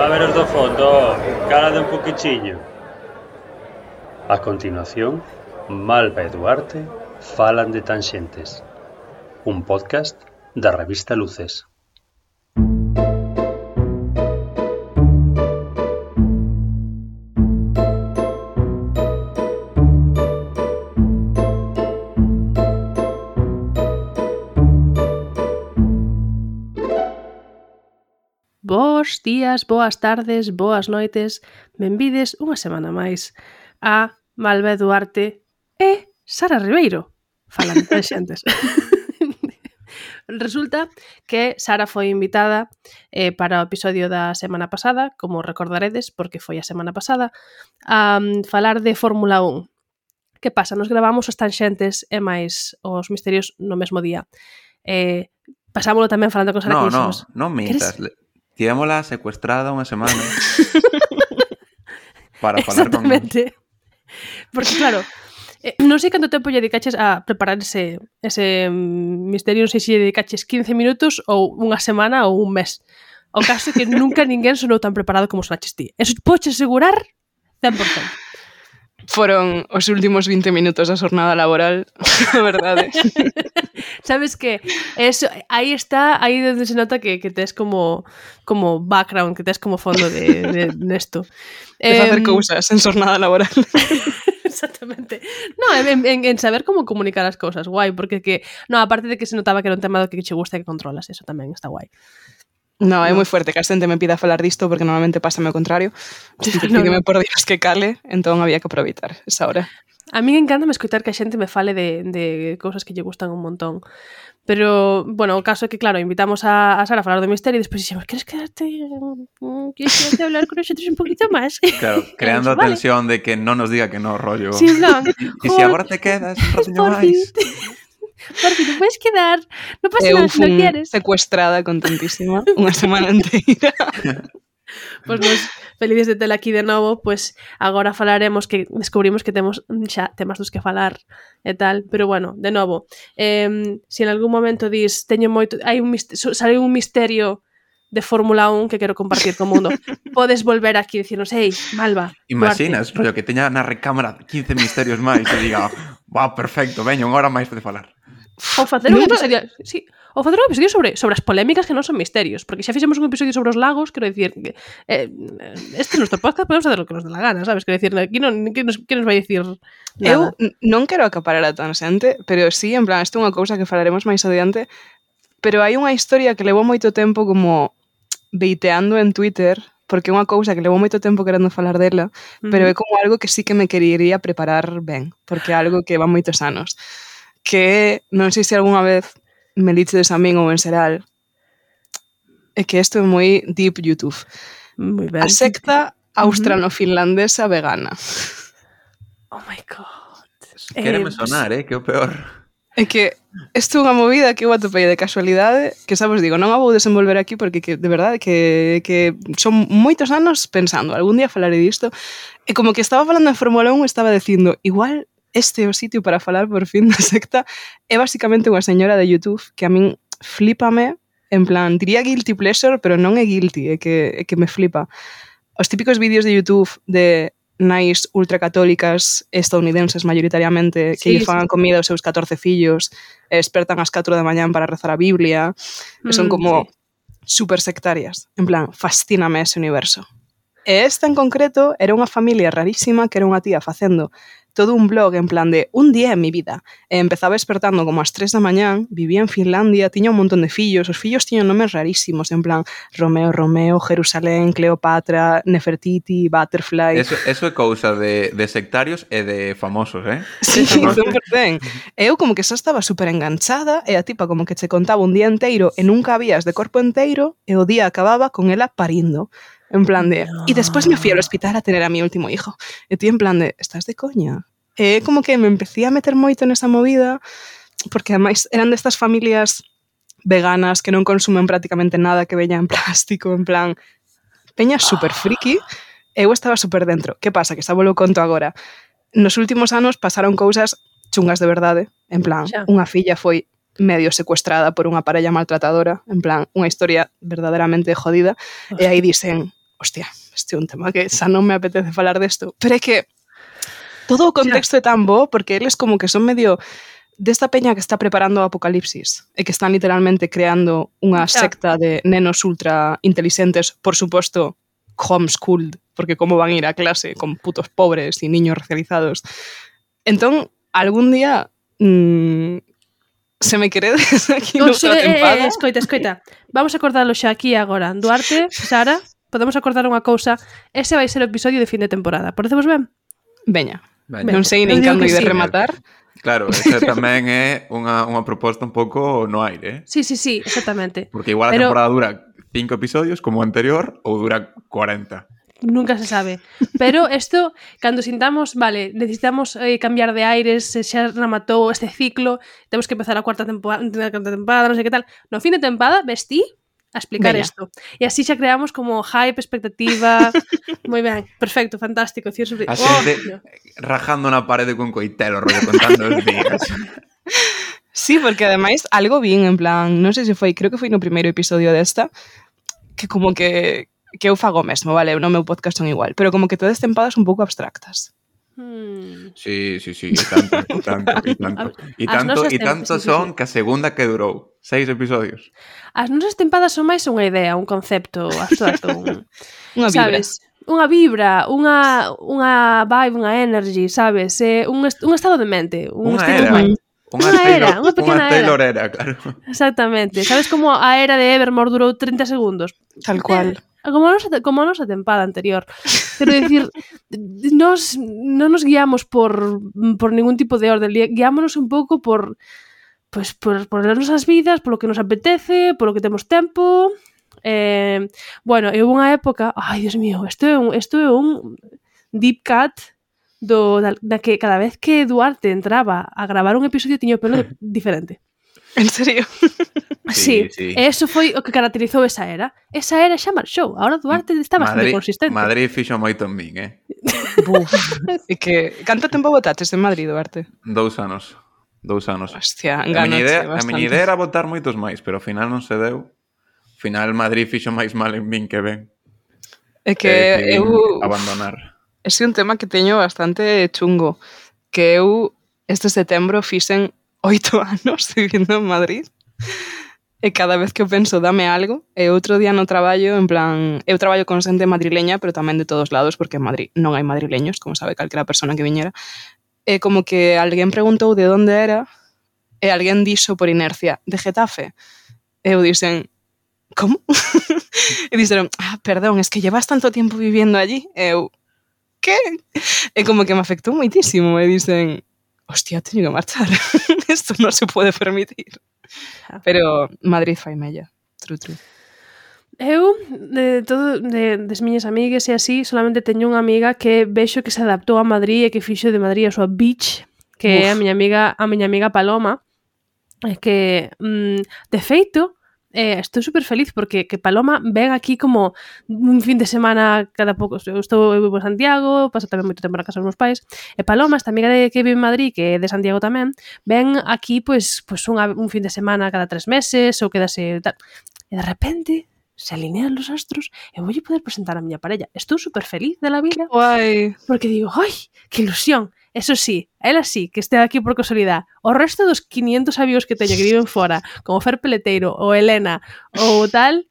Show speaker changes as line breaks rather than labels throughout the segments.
A ver os do fondo, calade un poquichiño. A continuación, Malva e Duarte falan de Tanxentes, un podcast da revista Luces.
Bos días, boas tardes, boas noites, benvides unha semana máis a Malva e Duarte e Sara Ribeiro falan de Tanxentes. Resulta que Sara foi invitada para o episodio da semana pasada, como recordaredes, porque foi a semana pasada, a falar de Fórmula 1. Que pasa? Nos gravamos os Tanxentes e máis os misterios no mesmo día. Pasámoslo tamén falando con Sara que dixemos.
Non mintas. Tivémola secuestrada unha semana para falar con nós.
Exactamente. Porque claro, non sei canto tempo lle dedicaches a preparar ese misterio, non sei se lle dedicaches 15 minutos ou unha semana ou un mes. O caso é que nunca ninguén sonou tan preparado como sonaches ti. Eso podes asegurar 100%.
Foron os últimos 20 minutos da jornada laboral, a verdade.
Sabes que eso, aí está, aí donde se nota que tes como background, que tes como fondo de nesto.
De facer cousas en jornada laboral.
Exactamente. No, en saber como comunicar as cousas, guai, porque aparte de que se notaba que era un tema do que che gusta e que controlas, eso tamén está guai.
No, é moi fuerte que a xente me pida falar disto porque normalmente pásame o contrario. Pídeme por Dios que cale, entón había que aproveitar esa hora.
A mí encántame escoitar que a xente me fale de cousas que lle gustan un montón. Pero, bueno, o caso é que, claro, invitamos a Sara a falar do misterio e despois dixemos, queres quedarte a hablar con nosotros un poquito máis?
Claro, creando a tensión de que non nos diga que no, rollo.
Sí, plan,
E se agora te quedas un ratiño máis.
Por fin, non puedes quedar. Non pasa nada se non quieres.
Secuestrada, contentísima, unha semana inteira.
Pois nos felices de tela aquí de novo, pois agora falaremos que descubrimos que temos xa temas dos que falar e tal, pero bueno, de novo, se en algún momento dis teño moito, sale un misterio de Fórmula 1 que quero compartir co mundo, podes volver aquí e dicirnos, ei, Malva,
Imaginas, rollo, que teña na recámara 15 misterios máis e diga, wow, perfecto, veño, unha hora máis de falar.
Ou facer un episodio, sí, ou facer un episodio sobre as polémicas que non son misterios, porque xa fixemos un episodio sobre os lagos, quero dicir, este nuestro podcast podemos facer o que nos dé la gana, sabes? Quero dicir, aquí non, que nos vai dicir nada.
Eu non quero acaparar a tan xente, pero sí, en plan, isto é unha cousa que falaremos máis adiante, pero hai unha historia que levou moito tempo como beiteando en Twitter, porque é unha cousa que levou moito tempo querendo falar dela, pero é como algo que sí que me querería preparar ben, porque é algo que va moitos anos. Que non sei se algunha vez me lichedes a min ou en xeral, é que isto é moi deep YouTube.
Muy ben.
A secta australo-finlandesa vegana.
Oh my god.
Quéreme sonar, que é o peor.
É que isto é unha movida que eu atopei de casualidade, que xa vos digo, non a vou desenvolver aquí porque de verdade que son moitos anos pensando, algún día falaré disto, e como que estaba falando de Fórmula 1 estaba dicindo, igual este é o sitio para falar por fin da secta, é basicamente unha señora de YouTube que a min flipame, en plan, diría guilty pleasure, pero non é guilty, é que me flipa. Os típicos vídeos de YouTube de nais ultracatólicas estadounidenses mayoritariamente que lle fan comida aos seus 14 fillos e despertan ás 4 da mañán para rezar a Biblia, que son como super sectarias. En plan, fascíname ese universo. E esta en concreto era unha familia rarísima que era unha tía facendo todo un blog en plan de un día en mi vida. E empezaba despertando como ás 3 da mañán, vivía en Finlandia, tiña un montón de fillos, os fillos tiñan nomes rarísimos, en plan Romeo, Jerusalén, Cleopatra, Nefertiti, Butterfly...
Eso é cousa de sectarios e de famosos,
Sí, 100%. Eu como que xa estaba super enganchada e a tipa como que che contaba un día inteiro e nunca habías de corpo inteiro e o día acababa con ela parindo. En plan de... No. Y después me fui al hospital a tener a mi último hijo. E ti en plan de... ¿Estás de coña? E como que me empecé a meter moito nesa movida porque ademais eran destas familias veganas que non consumen prácticamente nada que veña en plástico, en plan... Peña super friki. Eu estaba super dentro. Que pasa? Que xa volo conto agora. Nos últimos anos pasaron cousas chungas de verdade. En plan, unha filla foi medio secuestrada por unha parella maltratadora. En plan, unha historia verdadeiramente jodida. E aí dicen... hostia, este é un tema que xa non me apetece falar desto, pero é que todo o contexto é tan bo porque eles como que son medio desta peña que está preparando o apocalipsis e que están literalmente creando unha secta de nenos ultra inteligentes, por suposto, homeschooled, porque como van a ir a clase con putos pobres e niños racializados. Entón, algún día se me queredes aquí noutra tempada.
Escoita. Vamos a acordarlo xa aquí agora. Duarte, Sara, podemos acordar unha cousa. Ese vai ser o episodio de fin de temporada. Parecemos ben?
Veña. Non sei nin cando de rematar.
Claro, esa tamén é unha proposta un pouco no aire,
Sí, exactamente.
Porque igual a temporada dura 5 episodios como o anterior ou dura 40.
Nunca se sabe. Pero isto, cando sintamos, vale, necesitamos cambiar de aires, xa rematou este ciclo, temos que empezar a cuarta temporada, non sei que tal. No fin de temporada, vestí a explicar isto. E así xa creamos como hype, expectativa. Moi ben, perfecto, fantástico.
A xente rajando na parede con coitelo, rollo, contando os días.
Sí, porque ademais algo vin, en plan, non sei se foi, creo que foi no primeiro episodio desta, que como que eu fago mesmo, vale, no meu podcast son igual, pero como que todas tempadas un pouco abstractas.
Sí, e tanto son que a segunda que durou 6 episodios.
As nosas tempadas son máis unha idea, un concepto abstracto,
unha vibra.
Sabes? Unha vibra, unha vibe, unha energy, sabes? Un estado de mente,
unha era. Unha pequena Taylor era, claro.
Exactamente. Sabes como a era de Evermore durou 30 segundos?
Tal cual.
Como a nosa tempada anterior. Quero dicir, non nos guiamos por ningún tipo de orden, guiámonos un pouco por as nosas vidas, polo que nos apetece, polo que temos tempo. Bueno, eu unha época, ai, Dios mío, isto é un deep cut da que cada vez que Duarte entraba a gravar un episodio tiña o pelo diferente.
En serio?
Sí. E eso foi o que caracterizou esa era. Esa era xa marchou. Ahora Duarte está bastante consistente.
Madrid fixo moito en min,
Buf. E que canto tempo botaches en Madrid, Duarte?
2 anos.
Hostia,
a miña idea era botar moitos máis, pero ao final non se deu. Ao final Madrid fixo máis mal en min que ben.
É que eu
abandonar.
Ese é un tema que teño bastante chungo, que eu este setembro fixen 8 anos vivindo en Madrid. E cada vez que eu penso dame algo, e outro día no traballo, en plan, eu traballo con xente madrileña, pero tamén de todos lados, porque en Madrid non hai madrileños, como sabe calquera persona que viñera. E como que alguén preguntou de onde era, e alguén dixo por inercia, de Getafe. E eu dixen, como? E dixeron, perdón, es que llevas tanto tiempo viviendo allí. E eu, que? E como que me afectou moitísimo, e dixen, hostia, teño que marchar. Esto non se pode permitir. Pero Madrid fai mella. True.
Eu, das miñas amigas e así, solamente teño unha amiga que vexo que se adaptou a Madrid e que fixo de Madrid a súa beach, que é a miña amiga Paloma, que, de feito, estou super feliz porque que Paloma ven aquí como un fin de semana cada pouco. Eu vivo en Santiago, paso tamén moito tempo na casa dos meus pais, e Paloma, esta amiga que vive en Madrid, que é de Santiago tamén, ven aquí pues un fin de semana cada 3 meses ou quedase tal. E de repente se alinean los astros e voulle poder presentar a miña parella. Estou super feliz de la vida.
Guai.
Porque digo, ai, que ilusión. Eso sí, ela sí, que este aquí por casualidade. O resto dos 500 amigos que teño que viven fora, como Fer Peleteiro, ou Elena, ou tal,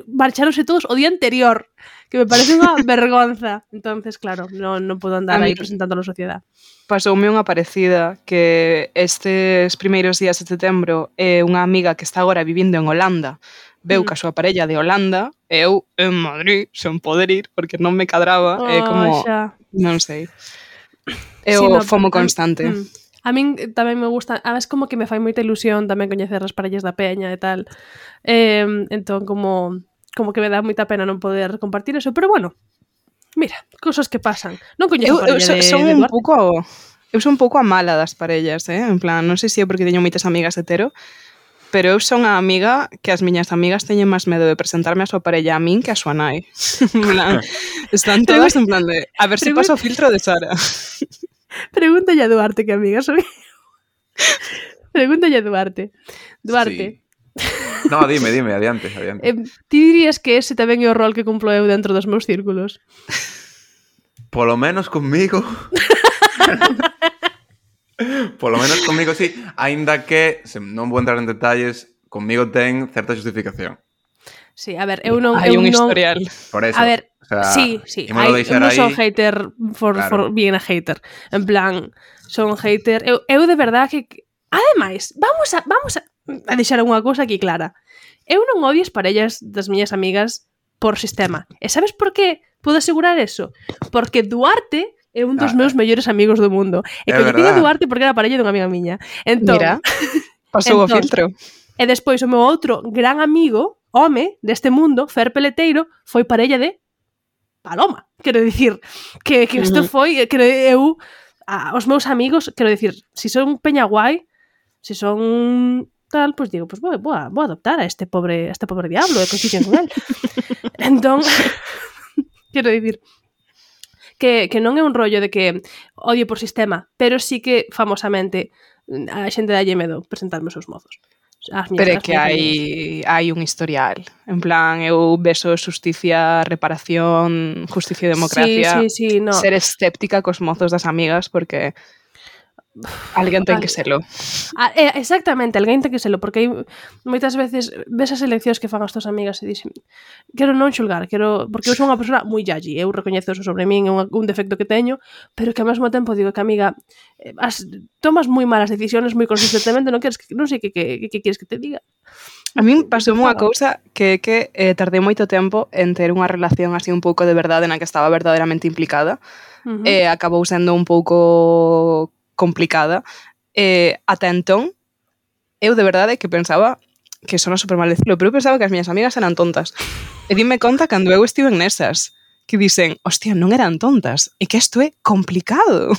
marcharonse todos o día anterior, que me parece unha vergonza. Entonces, claro, non podo andar aí presentando a sociedade.
Pasoume unha parecida que estes primeiros días de setembro unha amiga que está agora vivindo en Holanda veu ca súa parella de Holanda e eu en Madrid sen poder ir porque non me cadraba como,
xa.
Non sei. É o fomo constante.
A min tamén me gusta, a veces como que me fai moita ilusión tamén coñecer as parellas da peña e tal. Entón como que me dá moita pena non poder compartir eso, pero bueno, mira, cosas que pasan. Non coñezo a parella de Duarte.
Eu son un pouco a mala das parellas, en plan, non sei se é porque teño moitas amigas hetero, pero eu son a amiga que as miñas amigas teñen máis medo de presentarme a súa parella a min que a súa nai. En plan, están todas en plan de a ver se pasa o filtro de Sara.
Pregúntalle a Duarte que amiga soy. Pregúntalle a Duarte. Duarte.
Sí. No, dime, adiante.
Ti dirías que ese tamén é o rol que cumplo eu dentro dos meus círculos?
Polo menos conmigo... Polo menos conmigo sí, aínda que non vou entrar en detalles, conmigo ten certa justificación.
Sí, a ver, eu non...
Hai
eu
un
non...
historial.
A
Por eso,
ver,
o sea,
sí. Eu non son hater for being a hater. En plan, son hater... Eu de verdad que... Ademais, vamos a deixar unha cousa aquí clara. Eu non odio as parellas das miñas amigas por sistema. E sabes por que puedo asegurar eso? Porque Duarte é un dos meus mellores amigos do mundo. E coñecín a Duarte porque era parella dunha amiga miña. Entón,
Mira, pasou o filtro.
E despois o meu outro gran amigo, home, deste mundo, Fer Peleteiro, foi parella de Paloma. Quero dicir, que isto foi... eu, os meus amigos, quero dicir, si son peña guai, si son tal, pois digo, pois vou adoptar a este pobre diablo e coinciden con él. Entón, quero dicir... Que non é un rollo de que odio por sistema, pero sí que famosamente a xente dalle medo presentarme os seus mozos.
Pero é que hai un historial. En plan, eu beso justicia, reparación, justicia e democracia.
Sí, no.
Ser escéptica cos mozos das amigas porque alguén ten que selo.
Exactamente, alguén ten que selo, porque hai moitas veces ves as eleccións que fan as tuas amigas e dixen, quero non xulgar, porque eu sou unha persona moi yalli, eu recoñezo eso sobre min, é un defecto que teño, pero que ao mesmo tempo digo que, amiga, tomas moi malas decisiones moi consistentemente, non sei que queres que te diga.
A min pasou unha cousa que tardei moito tempo en ter unha relación así un pouco de verdade na que estaba verdadeiramente implicada, e acabou sendo un pouco complicada. Ata entón, eu de verdade que pensaba que sona super mal decirlo, pero eu pensaba que as miñas amigas eran tontas. E dime conta cando eu estive nesas, que dicen, hostia, non eran tontas, é que isto é complicado.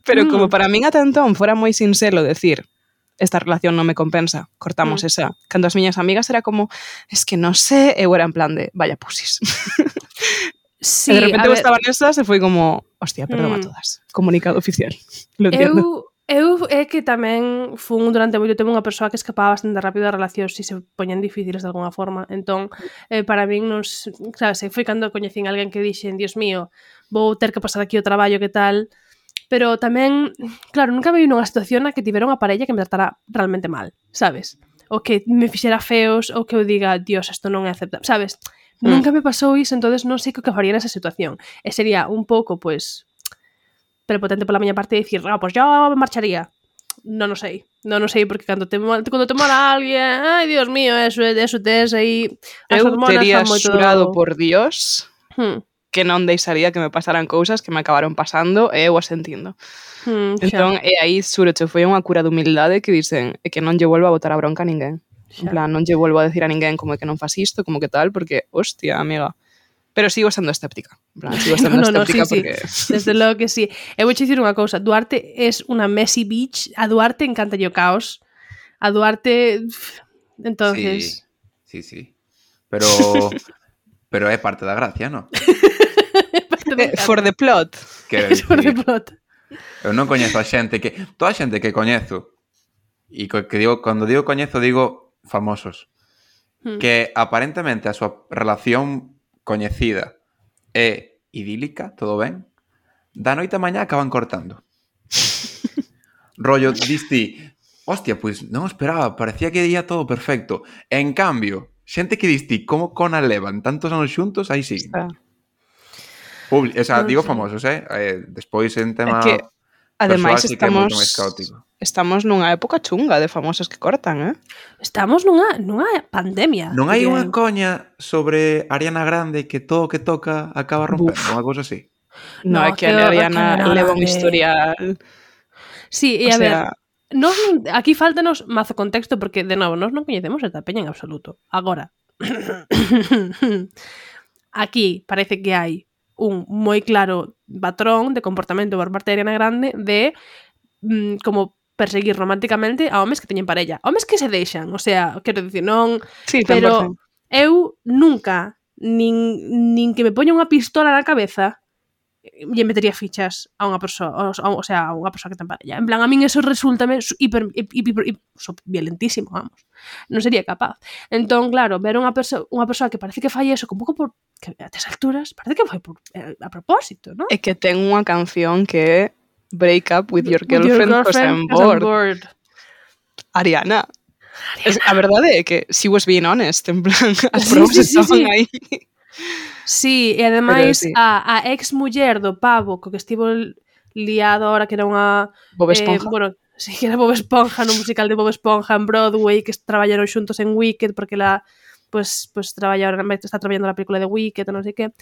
Pero como para min ata entón fora moi sinxelo decir, esta relación non me compensa, cortamos esa. Cando as miñas amigas era como, es que non sei, eu era en plan de, vaya pusis.
Sí,
e de repente eu estaba nesas e foi como, hostia, perdón a todas. Comunicado oficial. Lo entiendo.
Eu é que tamén fun durante moito tempo unha persoa que escapaba bastante rápido das relacións se se poñen difíciles de alguna forma. Entón, para min, sabes, foi cando coñecín alguén que dixen, Dios mío, vou ter que pasar aquí o traballo, que tal... Pero tamén, claro, nunca me vi nunha situación na que tivera unha parella que me tratara realmente mal, sabes? Ou que me fixera feos, ou que eu diga, Dios, isto non é aceptable, sabes? Nunca me pasou iso, entonces non sei o que faría nesa situación. E sería un pouco, pues, prepotente pola miña parte de dicir, pues yo me marcharía. Non o sei, porque cando te mola alguén, ai, Dios mío, eso tes aí, as hormonas
tería
fan moito...
xurado por Dios que non deixaría que me pasaran cousas que me acabaron pasando e eu as entindo. Entón, e aí, xúroche, foi unha cura de humildade que dicen que non lle vuelvo a botar a bronca a ninguén. En plan, non lle vuelvo a decir a ninguén como que non fas isto, como que tal, porque, hostia, amiga... Pero sigo sendo escéptica. En plan, sigo sendo escéptica porque...
Sí. Desde logo que sí. Eu vou dicir unha cousa. Duarte es unha messy bitch. A Duarte encanta o caos. A Duarte... Entonces...
Sí. Pero é parte da gracia, non?
For the plot.
For the plot.
Eu non coñezo a xente que... Toda a xente que coñezo, e que digo, cando digo coñezo, digo famosos, que aparentemente a súa relación coñecida é idílica, todo ben, da noite a mañá acaban cortando. Rollo, diste, hostia, pois non esperaba, parecía que ia todo perfecto. En cambio, xente que diste, como cona levan tantos anos xuntos, aí siguen. Digo famosos, despois en tema...
que, ademais,
sí que é moito máis caótico.
Estamos nunha época chunga de famosos que cortan,
Estamos nunha pandemia.
Non hai unha coña sobre Ariana Grande que todo o que toca acaba rompendo, unha cousa así?
No, é que Ariana leva un historial...
Sí, e a ver, aquí faltanos mazo contexto porque, de novo, nós non coñecemos esta peña en absoluto. Agora, aquí parece que hai un moi claro patrón de comportamento por parte de Ariana Grande de como perseguir románticamente a homes que teñen parella. Homes que se deixan, o sea, quero dicir, non...
Sí,
pero eu nunca, nin que me poña unha pistola na cabeza, lle metería fichas a unha persoa, o sea, a unha persoa que ten parella. En plan, a min eso resultame hiper violentísimo, vamos. Non sería capaz. Entón, claro, ver unha persoa que parece que fai eso, un pouco por que a tes alturas, parece que foi a propósito, non?
É que ten unha canción que é Break Up With Your Girlfriend Cause I'm Bored. Ariana. A verdade é que she was being honest, en plan, as provas estaban aí.
Sí, e ademais sí. a ex muller do pavo co que estivo liado ahora, que era unha...
Bob Esponja.
Bueno, sí, que era Bob Esponja, no musical de Bob Esponja en Broadway, que traballaron xuntos en Wicked, porque la pues está traballando na película de Wicked, non sei que.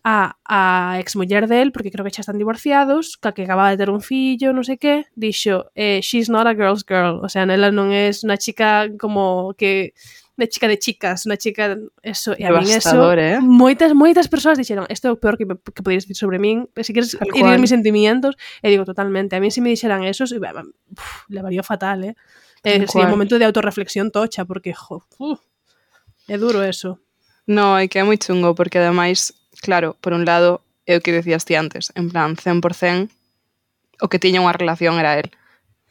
A ex muller del, porque creo que xa están divorciados, que acababa de ter un fillo, non sei que, dixo, she's not a girl's girl, o sea, nela non é unha chica como que de chica de chicas, unha chica eso, e a min eso, moitas persoas dixeron, isto é o peor que poderías dicir sobre min, se queres herir mis sentimientos, e digo totalmente, a mí se me dixeran eso, levaría fatal, sería un momento de autorreflexión tocha, porque é duro eso.
No, é que é moi chungo, porque ademais, claro, por un lado, é o que decías ti antes, en plan, 100% o que tiña unha relación era él,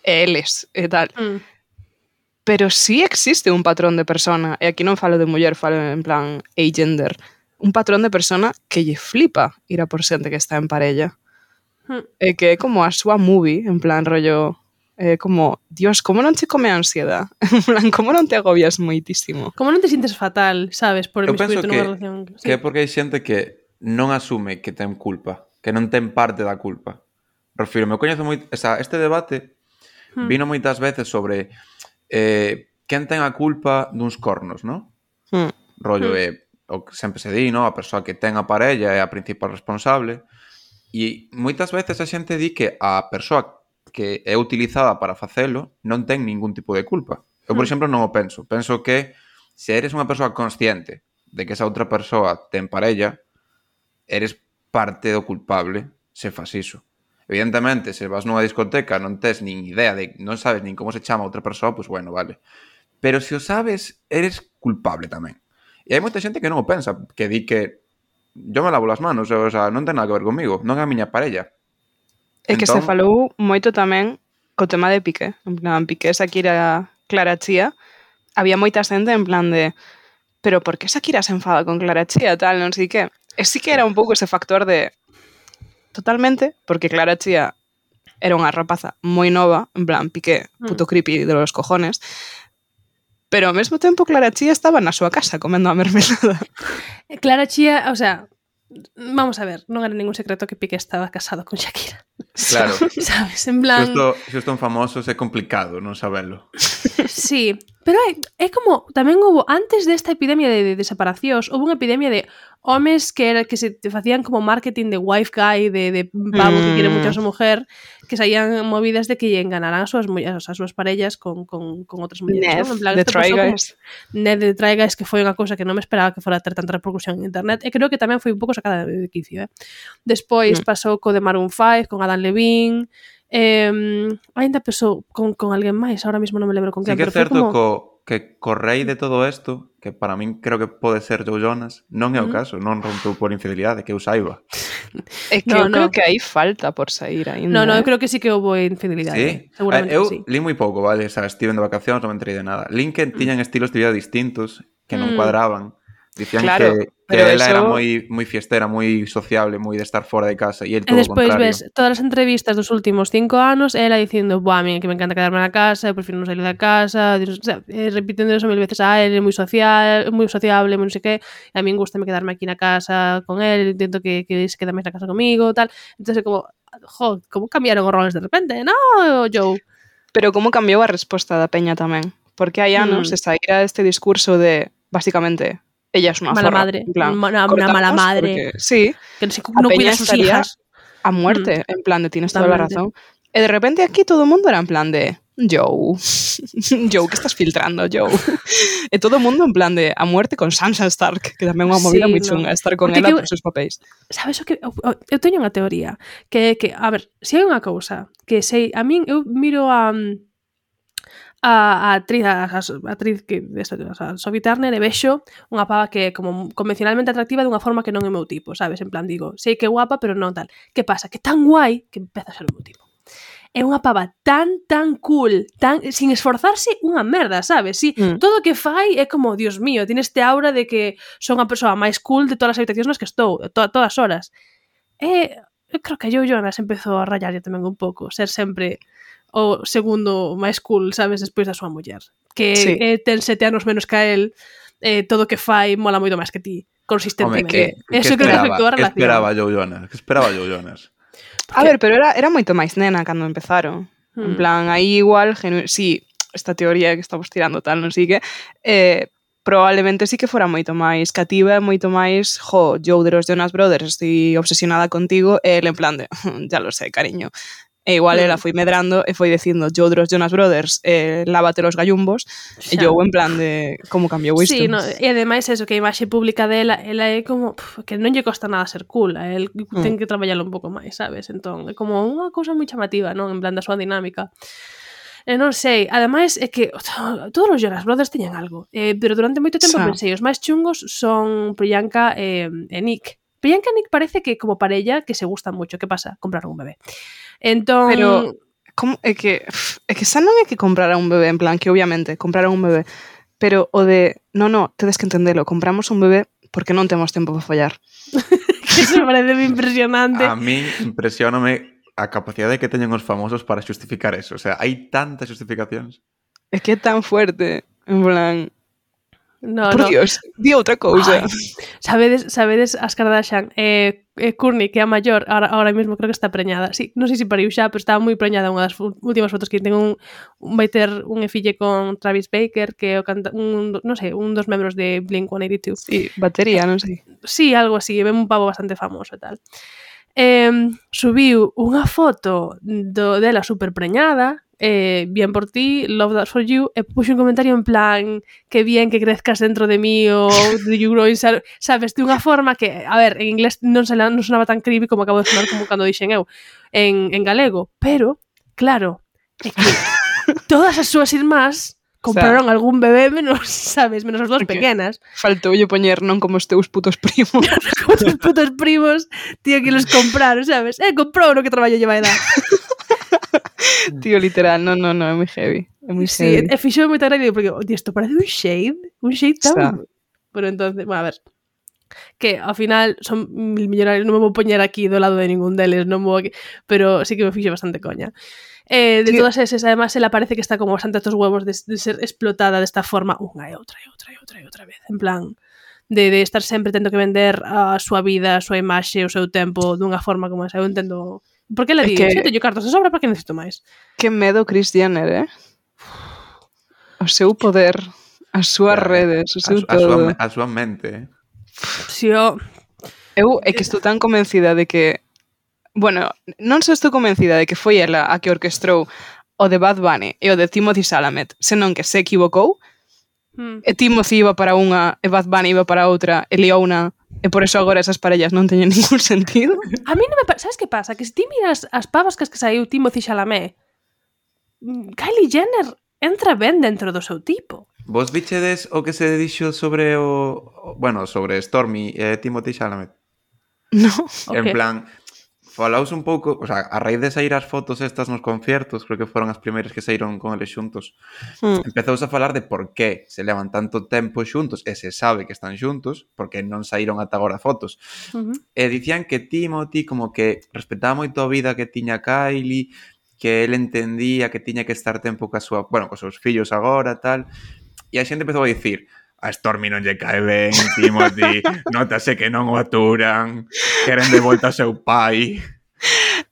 e eles, e tal. Pero sí existe un patrón de persona, e aquí non falo de muller, falo en plan agender, un patrón de persona que lle flipa ir a por xente que está en parella. E que é como a súa movie, en plan rollo... como, Dios, como non te come a ansiedad? En plan, como non te agobias moitísimo?
Como non te sintes fatal, sabes, por miscuirte nunha relación?
Sí. Que é porque hai xente que non asume que ten culpa, que non ten parte da culpa. Refiro, me coñezo moito... este debate vino moitas veces sobre quen ten a culpa duns cornos, non? Rollo o que sempre se di, non? A persoa que ten a parella é a principal responsable, e moitas veces a xente di que a persoa que é utilizada para facelo non ten ningún tipo de culpa. Eu, por exemplo, non o penso. Penso que se eres unha persoa consciente de que esa outra persoa ten parella, eres parte do culpable se fas iso. Evidentemente, se vas nunha discoteca non tes nin idea, non sabes nin como se chama outra persoa, pois bueno, vale. Pero se o sabes, eres culpable tamén. E hai moita xente que non o pensa, que di que yo me lavo las manos, o sea, non ten nada que ver comigo, non é a miña parella.
É que se falou moito tamén co tema de Piqué. En plan, Piqué, Shakira, Clara Chía. Había moita xente en plan de pero por que Shakira se enfada con Clara Chía, tal, non sei que. E sí que era un pouco ese factor de totalmente, porque Clara Chía era unha rapaza moi nova, en plan, Piqué, puto creepy de los cojones, pero ao mesmo tempo Clara Chía estaba na súa casa comendo a mermelada.
Clara Chía, o sea, vamos a ver, non era ningún secreto que Piqué estaba casado con Shakira.
Claro.
Sabes, en plan...
Se son famosos é complicado non sabelo.
Sí, pero é como, tamén houve, antes desta epidemia de separacións, houve unha epidemia de homes que se facían como marketing de wife guy, de pavo que quiere mucho a súa mujer, que saían movidas de que lle enganaran as súas parellas con outras mulleres.
Ned,
¿no? En plan,
de Try Guys.
Ned de Try Guys, que foi unha cousa que non me esperaba que fora a ter tanta repercusión en internet, e creo que tamén foi un pouco sacada de quicio. Despois pasou co de Maroon 5, con Adam Levine, ainda pasou con alguén máis, ahora mesmo non me lembro con quen.
Sí que é certo que co rei de todo isto, que para min creo que pode ser Joe Jonas, non é o caso, non rompeu por infidelidade, que eu saiba.
É que eu creo que aí falta por sair ainda.
No, eu creo que sí que houve infidelidade.
Sí?
Seguramente
eu
sí.
Li moi pouco, vale? O sea, estive de vacacións, non me enterei de nada. Lincoln tiñan estilos de vida distintos que non cuadraban. Dicían
claro,
que ela era moi fiestera, moi sociable, moi de estar fora de casa, e el todo o contrario.
E despois ves todas as entrevistas dos últimos 5 anos, ela dicindo, buah, a mí que me encanta quedarme na casa, eu prefiro non salir da casa, o sea, repitindo eso 1000 veces, ele é moi sociable, moi non sei que, e a mí gustame quedarme aquí na casa con ele, intento que se quede máis na casa comigo, tal. Entón, como, como cambiaron os roles de repente, no, Joe?
Pero como cambiou a resposta da peña tamén, porque hai anos se saíra este discurso de, basicamente, ella es una
mala
zorra,
madre,
en plan,
una mala madre,
porque, sí,
que no cuida a sus hijas
a muerte, en plan de tienes toda la razón, y de repente aquí todo el mundo era en plan de Joe, que estás filtrando, Joe, y todo el mundo en plan de a muerte con Sansa Stark, que tamén é unha movida moi chunga estar con ela por seus papéis.
Sabes o que eu teño unha teoría que a ver, se hai unha cousa que sei, a min eu miro a a actriz que a Sophie Turner e vexo unha pava que é como convencionalmente atractiva dunha forma que non é o meu tipo, sabes? En plan, digo, sei que é guapa, pero non tal. Que pasa? Que tan guai que empeza a ser o meu tipo. É unha pava tan cool, tan sin esforzarse unha merda, sabes? Si, todo o que fai é como, Dios mío, tiene este aura de que son a persoa máis cool de todas as habitacións nas que estou, todas as horas. Eu creo que a Joe Jonas empezou a rayarlle tamén un pouco, ser sempre o segundo máis cool, sabes, despois da súa muller. Que sí. Ten 7 anos menos que a él, todo o que fai mola moito máis que ti, consistentemente. Eso creo que afectou a relación.
Que esperaba Joe Jonas?
Porque... A ver, pero era moito máis nena cando empezaron. En plan, aí igual, sí, esta teoría que estamos tirando tal, non sei que, probablemente sí que fora moito máis cativa, moito máis, Joe de los Jonas Brothers, estoy obsesionada contigo, e el en plan de, ya lo sé, cariño. E igual ela foi medrando e foi dicindo Joe de los Jonas Brothers, lávate los gallumbos, e Joe en plan de como cambiou isto.
Sí, no, e ademais eso, que a imaxe pública dela, ela é como que non lle costa nada ser cool, a el ten que traballalo un pouco máis, sabes? Entón, é como unha cousa moi chamativa, non? En plan da súa dinámica. Non sei, ademais é que todos os Jonas Brothers teñen algo, pero durante moito tempo pensei, os máis chungos son Priyanka e Nick. Priyanka e Nick parece que como parella que se gustan moito. Que pasa? Compraron un bebé. Entón...
Pero como é que xa non é que comprara un bebé, en plan que obviamente compraron un bebé, pero o de no, tedes que entendelo, compramos un bebé porque non temos tempo para fallar.
Que se parece impresionante.
A mí impresioname a capacidade que teñen os famosos para xustificar eso. O sea, hai tantas justificacións.
É que é tan fuerte, en plan...
No,
por Dios, di outra cousa.
Sabedes as Kardashian, Kourtney, que é a maior, ahora mesmo creo que está preñada. Sí, non sei se pariu xa, pero estaba moi preñada unha das últimas fotos que ten vai ter un fille con Travis Baker, que é un dos membros de Blink-182.
Sí, batería, non sei.
Sí, algo así, é un pavo bastante famoso e tal. Subiu unha foto dela super preñada, bien por ti, love that for you, e puxo un comentario en plan que bien que crezcas dentro de mí ou do you grow inside, sabes, de unha forma que, a ver, en inglés non sonaba tan creepy como acabo de sonar como cando dixen eu en galego, pero, claro, é que todas as súas irmás compraron algún bebé menos, sabes, menos as dúas pequenas.
Faltoulle poñer non como os teus putos primos.
Como os teus putos primos, tío, que los compraron, sabes? Comprou no que traballo lleva a edad.
Tío, literal, no, é moi heavy. É moi
heavy. Sí, fixo moita gracia porque, isto parece un shade tan... Pero entonces, bueno, a ver, que ao final son mil millonarios, non me vou poñer aquí do lado de ningún deles, non vou aquí, pero sí que me fixo bastante coña. De todas esas, además, ela parece que está como bastante a estos huevos de ser explotada desta forma unha e outra vez, en plan de estar sempre tendo que vender a súa vida, a súa imaxe, o seu tempo dunha forma como esa. Eu entendo... Por que le digo? Se teño cartas de sobra, para que necesito máis?
Que medo Kris Jenner, o seu poder, as súas redes, o seu todo.
A súa mente,
Si, eu
é que estou tan convencida de que... Bueno, non só estou convencida de que foi ela a que orquestrou o de Bad Bunny e o de Timothy Chalamet, senón que se equivocou, e Timothy iba para unha e Bad Bunny iba para outra e liou-na, e por eso agora esas parellas non teñen ningún sentido.
A mí non me... Sabes que pasa? Que se ti miras as pavas que saiu Timothy Chalamet, Kylie Jenner entra ben dentro do seu tipo.
Vos vichedes o que se dixo sobre sobre Stormy e Timothy Chalamet?
No.
En plan, falaos un pouco, o sea, a raíz de sair as fotos estas nos conciertos, creo que foron as primeiras que saíron con eles xuntos, empezouse a falar de por que se levan tanto tempo xuntos, e se sabe que están xuntos, porque non saíron ata agora fotos. E dicían que Timothy como que respetaba moito a vida que tiña Kylie, que ele entendía que tiña que estar tempo cos seus fillos agora, tal, e a xente empezou a dicir: a Stormy non lle cae ben, Timothy, notase que non o aturan, queren de volta ao seu pai.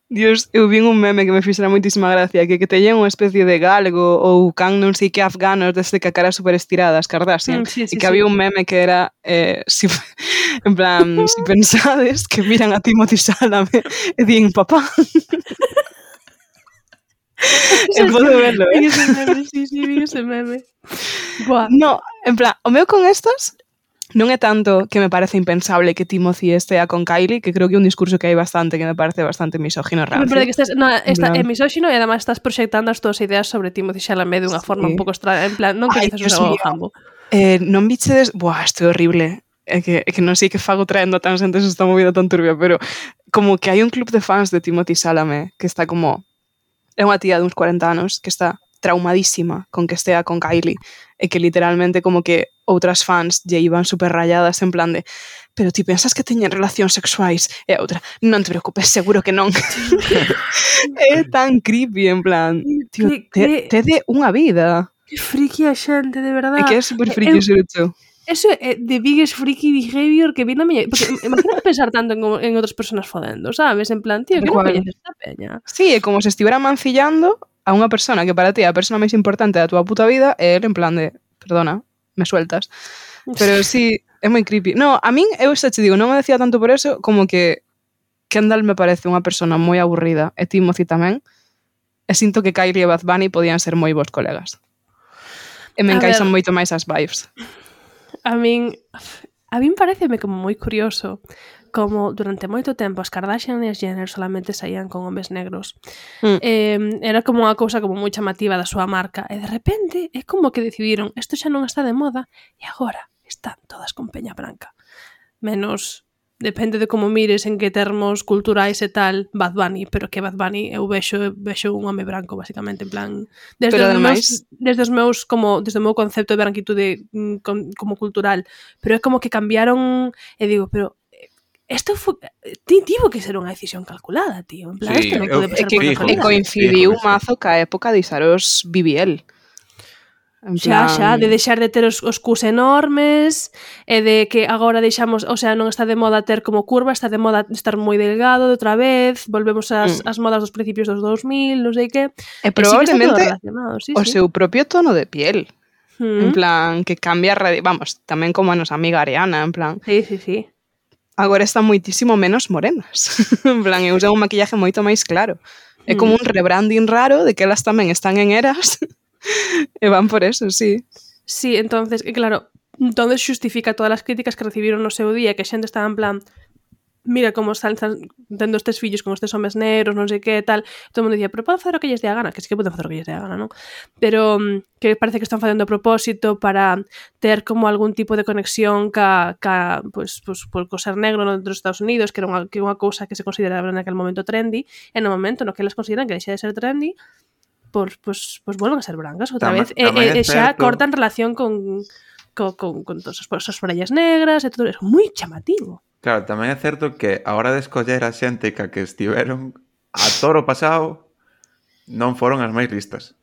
Dios, eu vi un meme que me fixera moitísima gracia, que teñen unha especie de galgo ou can non sei que afganos desde que a cara super estirada, as Kardashian, e que había un meme que era en plan, si pensades que miran a Timothy Chalamet e din papá. E podo verlo,
Sí, vi ese meme. Buah.
No, en plan, o meu con estas Non é tanto que me parece impensable que Timothy estea con Kylie, que creo que é un discurso que hai bastante, que me parece bastante misógino
Me
rancio.
parece que está é misóxino e además estás proxectando as túas ideas sobre Timothée Chalamet dunha forma un pouco extraña, en plan, non coñeces o jambo.
Non bichedes... Buah, isto é horrible. É que non sei que fago traendo tan xentes esta movida tan turbia, pero como que hai un club de fans de Timothée Chalamet que está como... É unha tía de uns 40 anos que está traumadísima con que estea con Kylie e que literalmente como que outras fans lle iban super rayadas en plan de pero ti pensas que teñen relacións sexuais? E a outra, non te preocupes, seguro que non. É tan creepy, en plan, tío, tede unha vida.
Que friki a xente, de verdade.
É que é super friki ser hecho.
Eso é the biggest freaky behavior que vi na miña... Porque imagínate pensar tanto en outras personas fodendo, sabes? En plan, tío, que non coñeces esta peña.
Sí, é como se estivera mancillando a unha persona que para ti é a persona máis importante da tua puta vida e ele en plan de, perdona, me sueltas. Pero sí, é moi creepy. No, a min, eu xa te digo, non me decía tanto por eso, como que Kendall me parece unha persona moi aburrida, e Timothy tamén, e sinto que Kylie e Bad Bunny podían ser moi bons colegas. E me encaixan moito máis as vibes.
A min pareceme como moi curioso como durante moito tempo as Kardashian e as Jenner solamente saían con homes negros. Era como unha cousa como moi chamativa da súa marca e de repente é como que decidiron isto xa non está de moda e agora están todas con peña branca. Menos, depende de como mires en que termos culturais e tal, Bad Bunny, pero que Bad Bunny eu vexo un home branco basicamente, en plan desde o meu concepto de branquitude como cultural, pero é como que cambiaron e digo, pero isto tivo que ser unha decisión calculada, tío. En plan,
sí,
isto non pode pasar por
E
casualidade.
coincidiu mazo ca época de Isaros BBL.
Xa, de deixar de ter os cus enormes e de que agora deixamos, o sea, non está de moda ter como curva, está de moda estar moi delgado de outra vez, volvemos ás modas dos principios dos 2000, non sei que.
E probablemente
sí,
o seu propio tono de piel. En plan, que cambia, vamos, tamén como a nosa amiga Ariana, en plan.
Sí.
Agora están moitísimo menos morenas. En plan, e usan un maquillaje moito máis claro. É como un rebranding raro de que elas tamén están en eras e van por eso, sí.
Sí, entonces, claro, entonces xustifica todas as críticas que recibiron no seu día, que a xente estaba en plan mira como están tendo estes fillos con estes homes negros, non sei que, tal. Todo o mundo dicía, pero poden facer o que lles dé a gana, que sí que poden facer o que lles dé a gana, non? Pero que parece que están facendo a propósito para ter como algún tipo de conexión pues, por ser negro dentro dos Estados Unidos, que era unha cousa que se consideraba naquele momento trendy, e no momento no que elas consideran que deixa de ser trendy, pues volven a ser brancas outra vez. E xa cortan relación con todas as frallas negras e todo eso. Moi chamativo.
Claro, tamén é certo que a hora de escoller a xente que estiveron a toro pasado non foron as máis listas.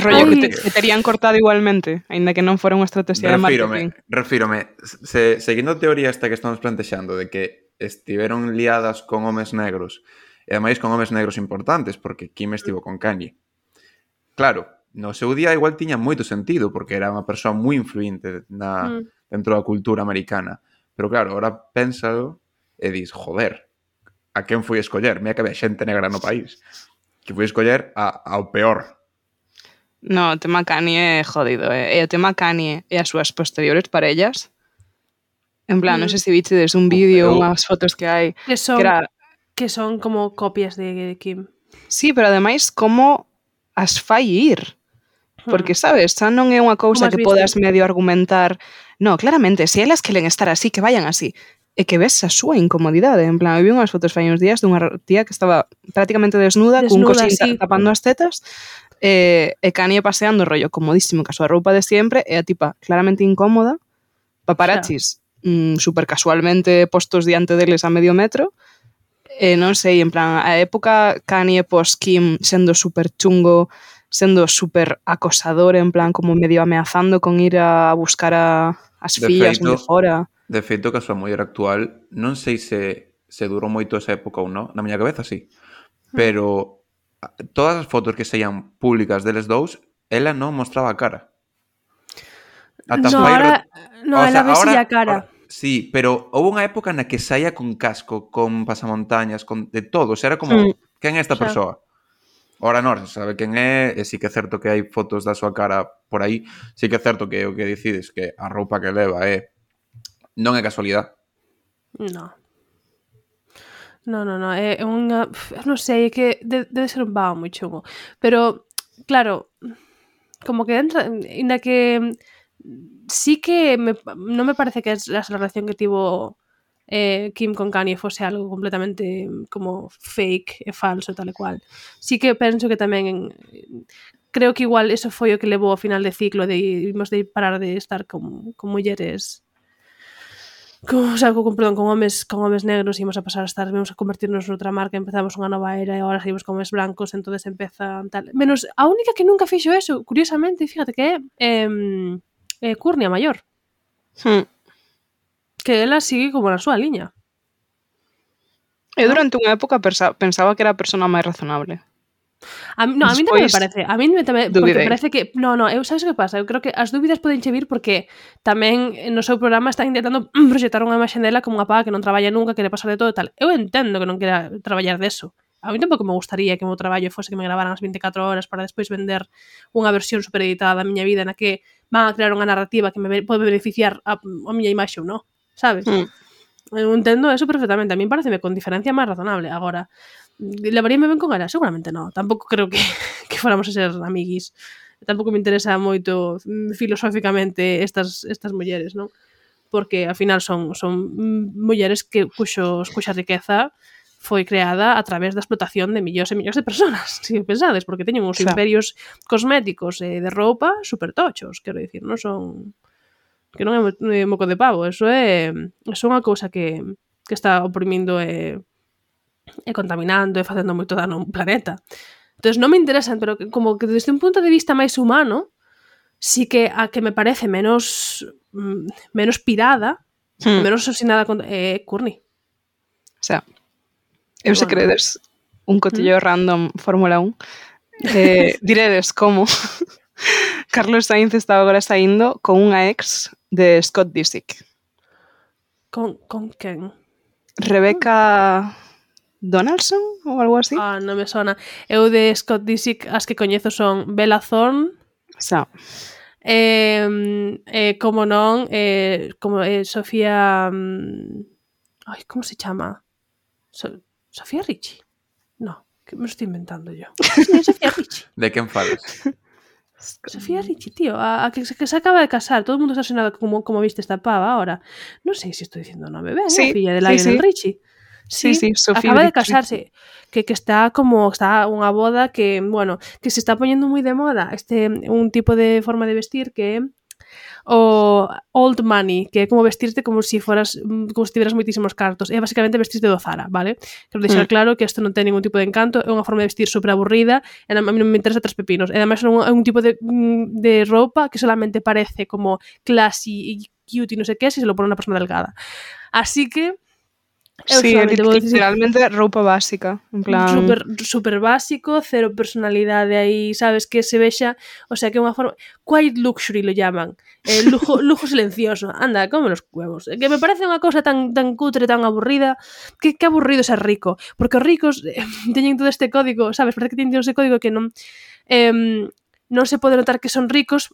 Rollo que terían cortado igualmente, aínda que non fora unha estrategia de marketing.
Refírome, seguindo a teoría esta que estamos plantexando de que estiveron liadas con homes negros e ademais con homes negros importantes, porque Kim estivo con Kanye. Claro, no seu día igual tiña moito sentido, porque era unha persoa moi influinte dentro da cultura americana. Pero claro, ahora pénsalo e dis, joder, a quen foi escoller? Mira que había xente negra no país. Que foi escoller ao peor.
No, o tema Kanye é jodido. E o tema Kanye e as súas posteriores parellas. En plan, non sei se vichedes un vídeo, unhas fotos que hai.
Que son como copias de Kim.
Sí, pero ademais, como as fai ir? Porque, sabes, xa non é unha cousa que podas medio argumentar. No, claramente, se elas queren estar así, que vayan así. E que ves a súa incomodidade. En plan, eu vi unhas fotos fai uns días dunha tía que estaba prácticamente desnuda cun cosín tapando as tetas, e Kanye paseando rollo comodísimo ca súa roupa de sempre, e a tipa claramente incómoda, paparachis super casualmente postos diante deles a medio metro, e non sei, en plan, a época Kanye pos Kim sendo super chungo, sendo super acosador, en plan, como medio ameazando con ir a buscar as fillas de fora.
De feito, que a súa muller actual, non sei se durou moito esa época ou non, na miña cabeza sí, pero todas as fotos que saían públicas deles dous, ela non mostraba a cara.
Ela vese a cara.
Sí, pero houve unha época na que saía con casco, con pasamontañas, con de todo, o sea, era como, quen é esta persoa? Ora non se sabe quen é, e sí que é certo que hai fotos da súa cara por aí, sí que é certo que o que decides que a roupa que leva non é casualidade.
No. No, é unha... Non sei, é que debe ser un vago moi chungo. Pero, claro, como que entra... Inda que sí que non me parece que la relación que tivo Kim con Kanye fose algo completamente como fake e falso e tal e cual. Sí que penso que tamén creo que igual eso foi o que levou ao final de ciclo de imos de parar de estar con mulleres con homes negros, ímos a pasar a estar, vamos a convertirnos noutra marca, empezamos unha nova era e agora seguimos con homes blancos, entonces empeza tal. Menos a única que nunca fixo eso, curiosamente, fíjate que é Courtney a maior. Que ela sigue como na súa liña.
Eu durante unha época pensaba que era a persona máis razonable.
A mí tamén me parece. A mí tamén, porque parece que... No, eu sabes o que pasa? Eu creo que as dúbidas poden che vir porque tamén no seu programa están intentando proxectar unha imaxe dela como unha paga que non traballa nunca, que le pasa de todo e tal. Eu entendo que non quera traballar deso. A mí tampouco me gustaría que o meu traballo fose que me gravaran as 24 horas para despois vender unha versión supereditada da miña vida na que van a crear unha narrativa que me pode beneficiar a miña imaxe ou non. Sabes? Eu entendo eso perfectamente. A mí pareceme con diferencia máis razonable. Agora, levaríame ben con ela? Seguramente non. Tampouco creo que fóramos a ser amiguis. Tampouco me interesa moito filosóficamente estas mulleres, non? Porque, ao final, son mulleres cuxa riqueza foi creada a través da explotación de millóns e millóns de personas, se pensades, porque teñen uns imperios cosméticos e de roupa super tochos, quero dicir, non son... que non é moco de pavo, eso é unha cousa que está oprimindo e contaminando e facendo moito dano ao planeta. Entón non me interesan, pero como que desde un punto de vista máis humano, sí que a que me parece menos pirada, menos asesinada Courtney.
O sea, eu se credes un cotilleo random Fórmula 1, diredes como Carlos Sainz está agora saindo con unha ex de Scott Disick.
Con quen?
Rebecca Donaldson ou algo así?
Non me sona. Eu de Scott Disick as que coñezo son Bella Thorne.
Xa.
Como non, como Sofía... Ai, como se chama? Sofía Richie? No, que me estou inventando yo. Sí, Sofía Richie.
De quen falas?
Sofía Richie, tío, a que se acaba de casar. Todo o mundo está sonado como viste esta pava ahora. Non sei se estou dicindo o nome ben, sí, a filla de Lionel Richie. Sí, Sofía acaba de casarse, que está unha boda que, bueno, que se está poñendo moi de moda un tipo de forma de vestir que é o old money, que é como vestirte como se tiveras moitísimos cartos, é basicamente vestirte do Zara, vale? Quero deixar claro que isto non ten ningún tipo de encanto, é unha forma de vestir super aburrida, e a mí non me interesa tres pepinos, e ademais é un tipo de roupa que solamente parece como classy e cute e non sei que, se lo pone unha persona delgada. Así que
sí, literalmente roupa básica, en plan...
Super básico, cero personalidade aí, sabes, que se vexa, o sea, que é unha forma... Quiet luxury lo llaman, lujo silencioso, anda, come los huevos. Que me parece unha cousa tan cutre, tan aburrida, que aburrido ser rico, porque os ricos teñen todo este código, sabes, parece que teñen todo este código que non se pode notar que son ricos,